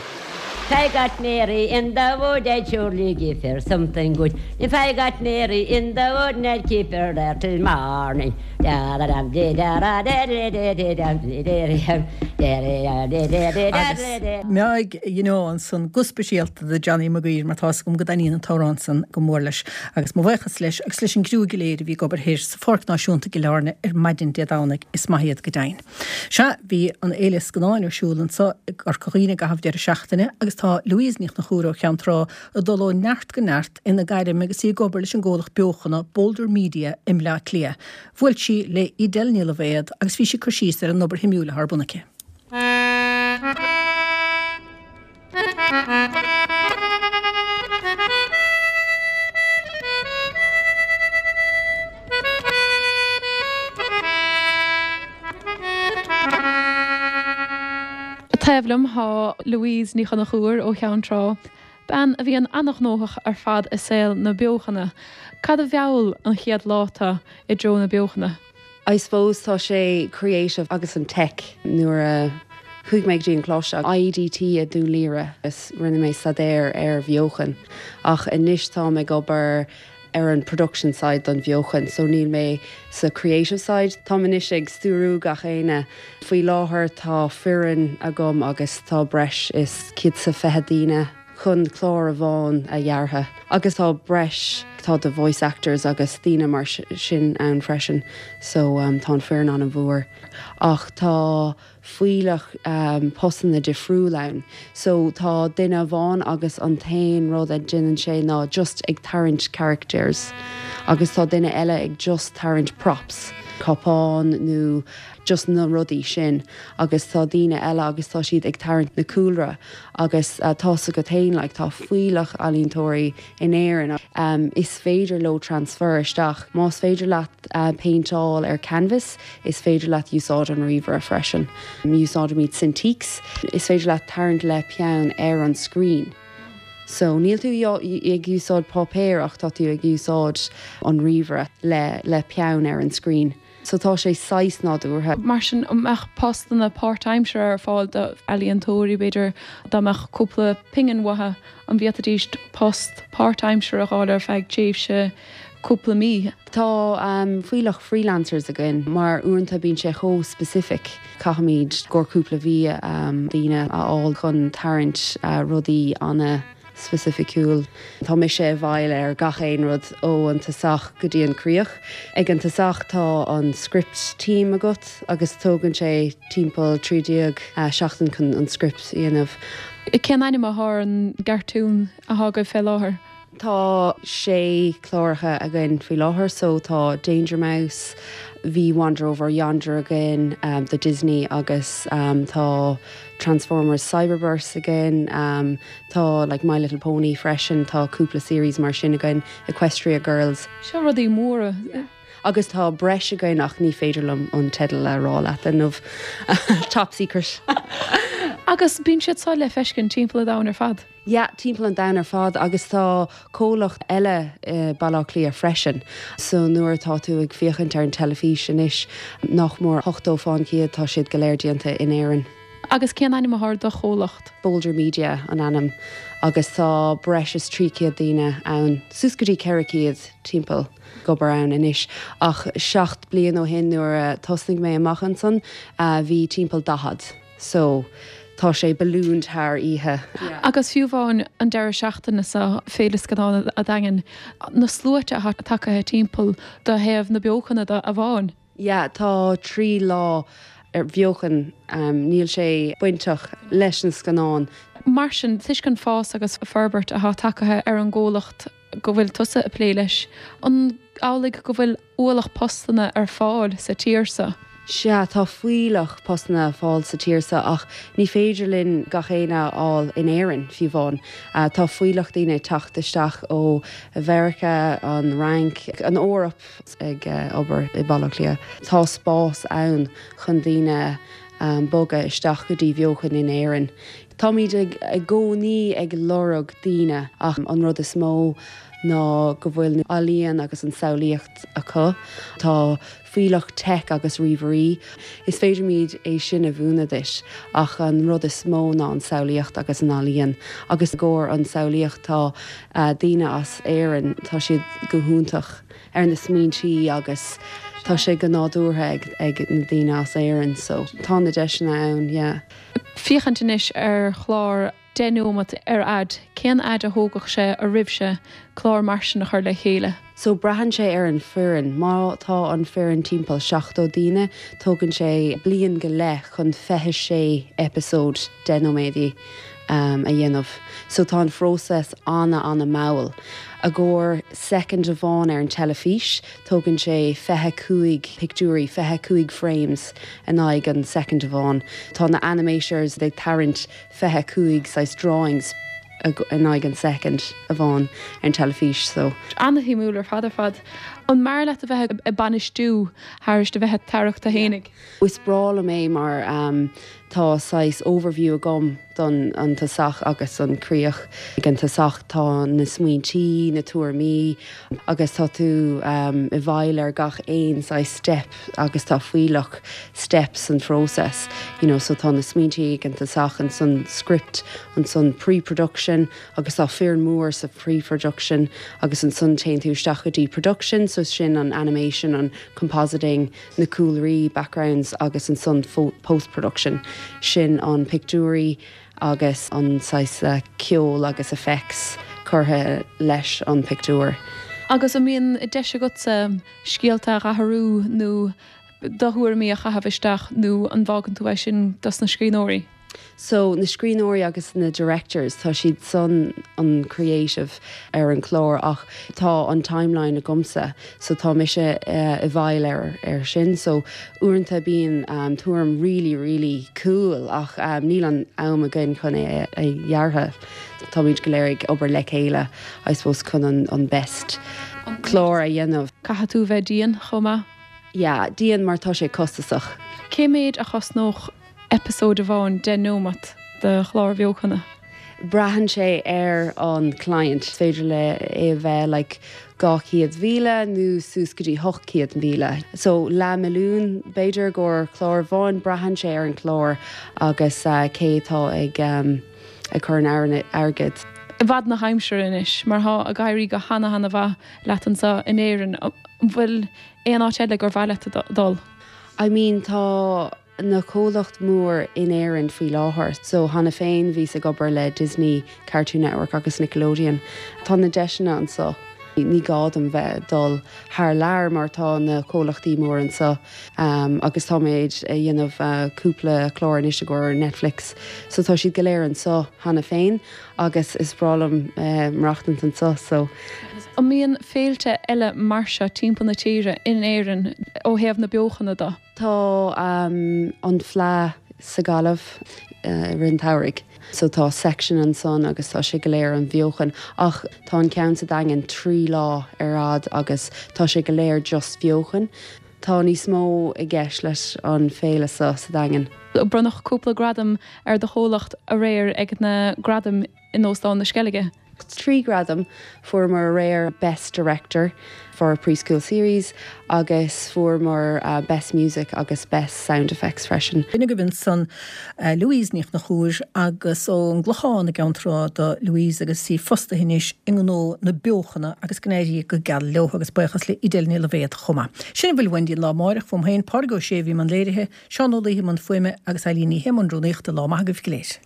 If I got Mary in the wood I'd surely give her something good If I got Mary in the wood I'd keep her there till morning Agus Meáigh you know ansan go speisialta do Johnny Maguire mar tá's agam go dtaitníonn an t-amhrán san go mór leis. Agus mo bhuíochas leis agus leis an gcriú go léir a bhí ag obair thoir sa Pháirc Náisiúnta i gCill Airne ar maidin Dé Domhnaigh, is maith iad go deimhin. Sea, bhí an Fhéile Scannáin ar siúl anso i gCorca Dhuibhne i gcaitheamh deireadh seachtaine agus tá Louise Ní Chonchúir ó Cheann Trá ag dul ó neart go neart ina gairm agus í ag obair leis an gcomhlacht beochana Boulder Media i mBleá Cliath. Bhuail sí le Edel Ní Loibhéad agus bhí sí ag cur síos ar an obair shuimiúil atá ar bun aici. Taobh liom tá Louise Ní Chonchúir ó Cheann Trá, bean a bhíonn an-ghnóthach ar fad i saol na beochana. Cad a mheall an chéad lá tu i dtreo na beochana? I suppose tá sé creative agus an tech. Nuair a chuaigh mé go dtí an coláiste IADT i Dún Laoghaire is rinne mé staidéar ar bheochan ach anois táim ag obair ar an production side don bheochan so níl mé sa creative side. Táim anois ag stiúrú gach éinne. Faoi láthair tá foireann agam agus tá breis is 120 daoine. chun clár amháin a dheartha agus tá breis, tá the voice actors agus daoine mar sin ann freisin so tá an foireann an-mhór ach tá fuílleach postanna difriúil ann so tá duine amháin agus an t-aon rud a déanann sé ná just ag tarraingt characters agus tá duine eile ag just tarraingt props, cupán nó just na rudaí sin agus tá daoine eile agus tá siad ag tarraingt na cúlra Agus tá's agat fhéin, like, tá fuílleach ealaíontóirí in Éirinn, is féidir leo transfer isteach. Más féidir leat péinteáil ar canvas, is féidir leat úsáid an ríomhaire freisin. Úsáidimid Cintiqs, is féidir leat tarraingt le peann ar an screen. So, níl tú ag úsáid páipéar ach tá tú ag úsáid an ríomhaire le le peann ar an screen. So tá sé saghas nádúrtha. Mar sin, an mbeadh postanna páirtaimseartha ar fáil d'ealaíontóirí, b'fhéidir, dá mbeadh cúpla pingin uathu, an bhféadfaidís post páirtaimseartha a fháil ar feadh tréimhse cúpla mí? Tá fuílleach freelancers againn mar uaireanta bíonn sé chomh specific, caithfimid i gcomhair cúpla mhí daoine a fháil chun tarraingt rudaí ana. specificiúil. Tá mise i bhfeighil ar gach aon rud ó an tosach go dtí an críoch. Ag an tosach tá an script team agat agus tógann sé timpeall 13 seachtain chun an script a dhéanamh. Cén ainm athá ar an gcartún athá agaibh fé láthair? Tá sé cláracha againn faoi láthair so tá Danger Mouse, bhí Wander Over Yonder againn do Disney agus tá Transformers Cyberverse againn. Tá like My Little Pony freisin, tá cúpla series mar sin againn, Equestria Girls. Seo rudaí móra. Yeah. Agus tá breis againn ach ní féidir liom an teideal a rá leat inniu. Top secret. Agus bíonn siad seo le feiscint timpeall an domhain ar fad? Yeah, timpeall an domhain ar fad agus tá comhlacht eile i Baile Átha Cliath freisin. So nuair atá tú ag féachaint ar an teilifís anois, nach mór 80 fán chéad tá siad go léir déanta in Éirinn. Agus cén ainm athá ar do chomhlacht? Boulder Media an ainm agus tá breis is 300 daoine ann, suas go dtí 400 timpeall, ag obair ann anois. Ach 7 bliain ó shin nuair a thosnaigh mé amach ansan bhí timpeall 40 so tá sé ballooned thar oíche. Agus fiú amháin an deireadh seachtaine seo, Féile Scannán a' Daingin, na sluaite athá tagtha timpeall do thaobh na beochana de amháin. Yeah, tá 3 lá ar bheochan, níl sé bainteach leis na scannáin. Mar sin, toisc an fás agus forbairt athá tagtha ar an gcomhlacht go bhfuil tusa ag plé leis, an amhlaidh go bhfuil ualach postanna ar fáil sa tír so? Sea, tá fuílleach postanna ar fáil sa tír so ach ní féidir linn gach éinne a fháil in Éirinn, fiú amháin. Tá fuílleach daoine ag teacht isteach ó Mheiriceá, an Fhrainc, an Eoraip. ag obair i Baile Átha Cliath. Tá spás ann chun daoine bogadh isteach go dtí bheochan in Éirinn. Táimid i gcónaí ag lorg daoine ach an rud is mó. ná go bhfuil na ealaíon agus an samhlaíocht acu. Tá fuílleach tech agus ríomhairí. Is féidirimid é sin a mhúineadh duit ach an rud is mó ná an samhlaíocht agus an ealaíon. Agus i gcomhair an samhlaíocht tá daoine as Éirinn, tá siad go hiontach ar na smaointí agus tá sé go nádúrtha ag na daoine as Éirinn so tá na deiseanna ann, yeah. Féachaint anois ar chlár 10 nóimeat ar fhad, cén fhad a thógfadh sé oraibhse clár mar sin a chur le chéile? So braitheann sé ar an foireann. Má tá an foireann timpeall 70 daoine, tógann sé bliain go leith chun 26 eipeasóid 10 nóiméadaí a dhéanamh. So tá an phróiseas ana ana mall. I gcomhair soicind amháin ar an teilifís, tógann sé 25 pictiúirí, 25 frames in aghaidh an soicind amháin. Tá na animators ag tarraingt 25 saghas drawings in aghaidh an soicind amháin ar an teilifís so. Ana-shuimiúil ar fad ar fad. An mb'fhearr leat a bheith ag bainistiú thairis a bheith ag tarrac tú fhéinig? Is breá liom é mar tá saghas overview agam don an tosach agus an críoch. Ag an tosach tá na smaointí, na tuairimí agus tá tú i bhfeighil ar gach aon saghas step agus tá fuílleach steps san phróiseas you know so tá na smaointí ag an tosach ansan script ansan pre-production agus tá foireann mór sa pre-production agus ansan téann tú isteach go dtí production so sin an animation an compositing na cúlraí backgrounds agus ansan post-production sin an pictiúirí agus an saghas ceol agus effects curtha leis an pictiúr. Agus an mbíonn deis agatsa scéalta a dh'athrú nó do thuairimí a chaitheamh isteach nó an bhfágann tú é sin dos na scríbhneoirí? So, na scríbhneoirí agus na directors, tá siad san an creative ar an chlár ach tá an timeline agamsa so tá mise i bhfeighil ar ar sin so uaireanta bíonn tuairim really really cool ach níl an am againn chun é a dheartha. Táimid go léir ag obair le chéile I suppose chun an an best clár a dhéanamh. Caithfidh tú bheith dian chomh maith. Yeah, dian mar tá sé costasach. Cé méid a chosnódh eipeasóid amháin 10 nóimeat de chlár bheochana? Braitheann sé ar an client. Is féidir le é a bheith like 200,000 nó suas go dtí 800,000. So leath milliún b'fhéidir i gcomhair clár amháin. Braitheann sé ar an chlár agus cé atá ag ag cur an airgid. I bhfad na haimsire anois, mar thá ag éirí go hana hana mhaith leat anso in Éirinn, an bhfuil aon áit eile gur mhaith leat dul? I mean tá na comhlacht mór in Éirinn faoi láthair so cheana féin bhíos ag obair le Disney, Cartoon Network agus Nickelodeon. Tá na deiseanna anso. Ní gá dom bheith ag dul thar lear mar tá na comhlachtaí mór anso agus táimid ag dhéanamh cúpla clár anois i gcomhair Netflix so tá siad go léir anso cheana féin agus is breá liom maireachtaint anso so. An mbíonn féilte eile mar seo timpeall na tíre in Éirinn ó thaobh na beochana de? Tá an Fleadh sa Gaillimh i rith an tsamhraidh so tá section ansan agus tá sé go léir an bheochan ach tá an ceann sa Daingean 3 lá ar fhad agus tá sé go léir just beochan. Tá níos mó i gceist leis an féile seo sa Daingean. Bronnadh cúpla gradam ar do chomhlacht aréir ag na gradaim in Óstán na Sceilge. 3 ghradam, fuaireamar aréir Best Director for a Preschool Series agus fuaireamar Best Music agus Best Sound Effects freisin. B'in agaibh ansan Louise Ní Chonchúir agus ón gClochán i gCeann Trá do Louise agus í fostaithe anois i ngnó na beochana agus go n-éirí go geal leo agus buíochas le Edel Ní Loibhéad chomh maith. Sin a bhfuil uainn go dtí an lá amáireach, fúm féin, Pádraig Ó Sé a bhí i mbun léirithe, Seán Ó Laoithe i mbun fuaime agus Eilín Ní Shé i mbun rúnaíochta. Lá maith agaibh go léir.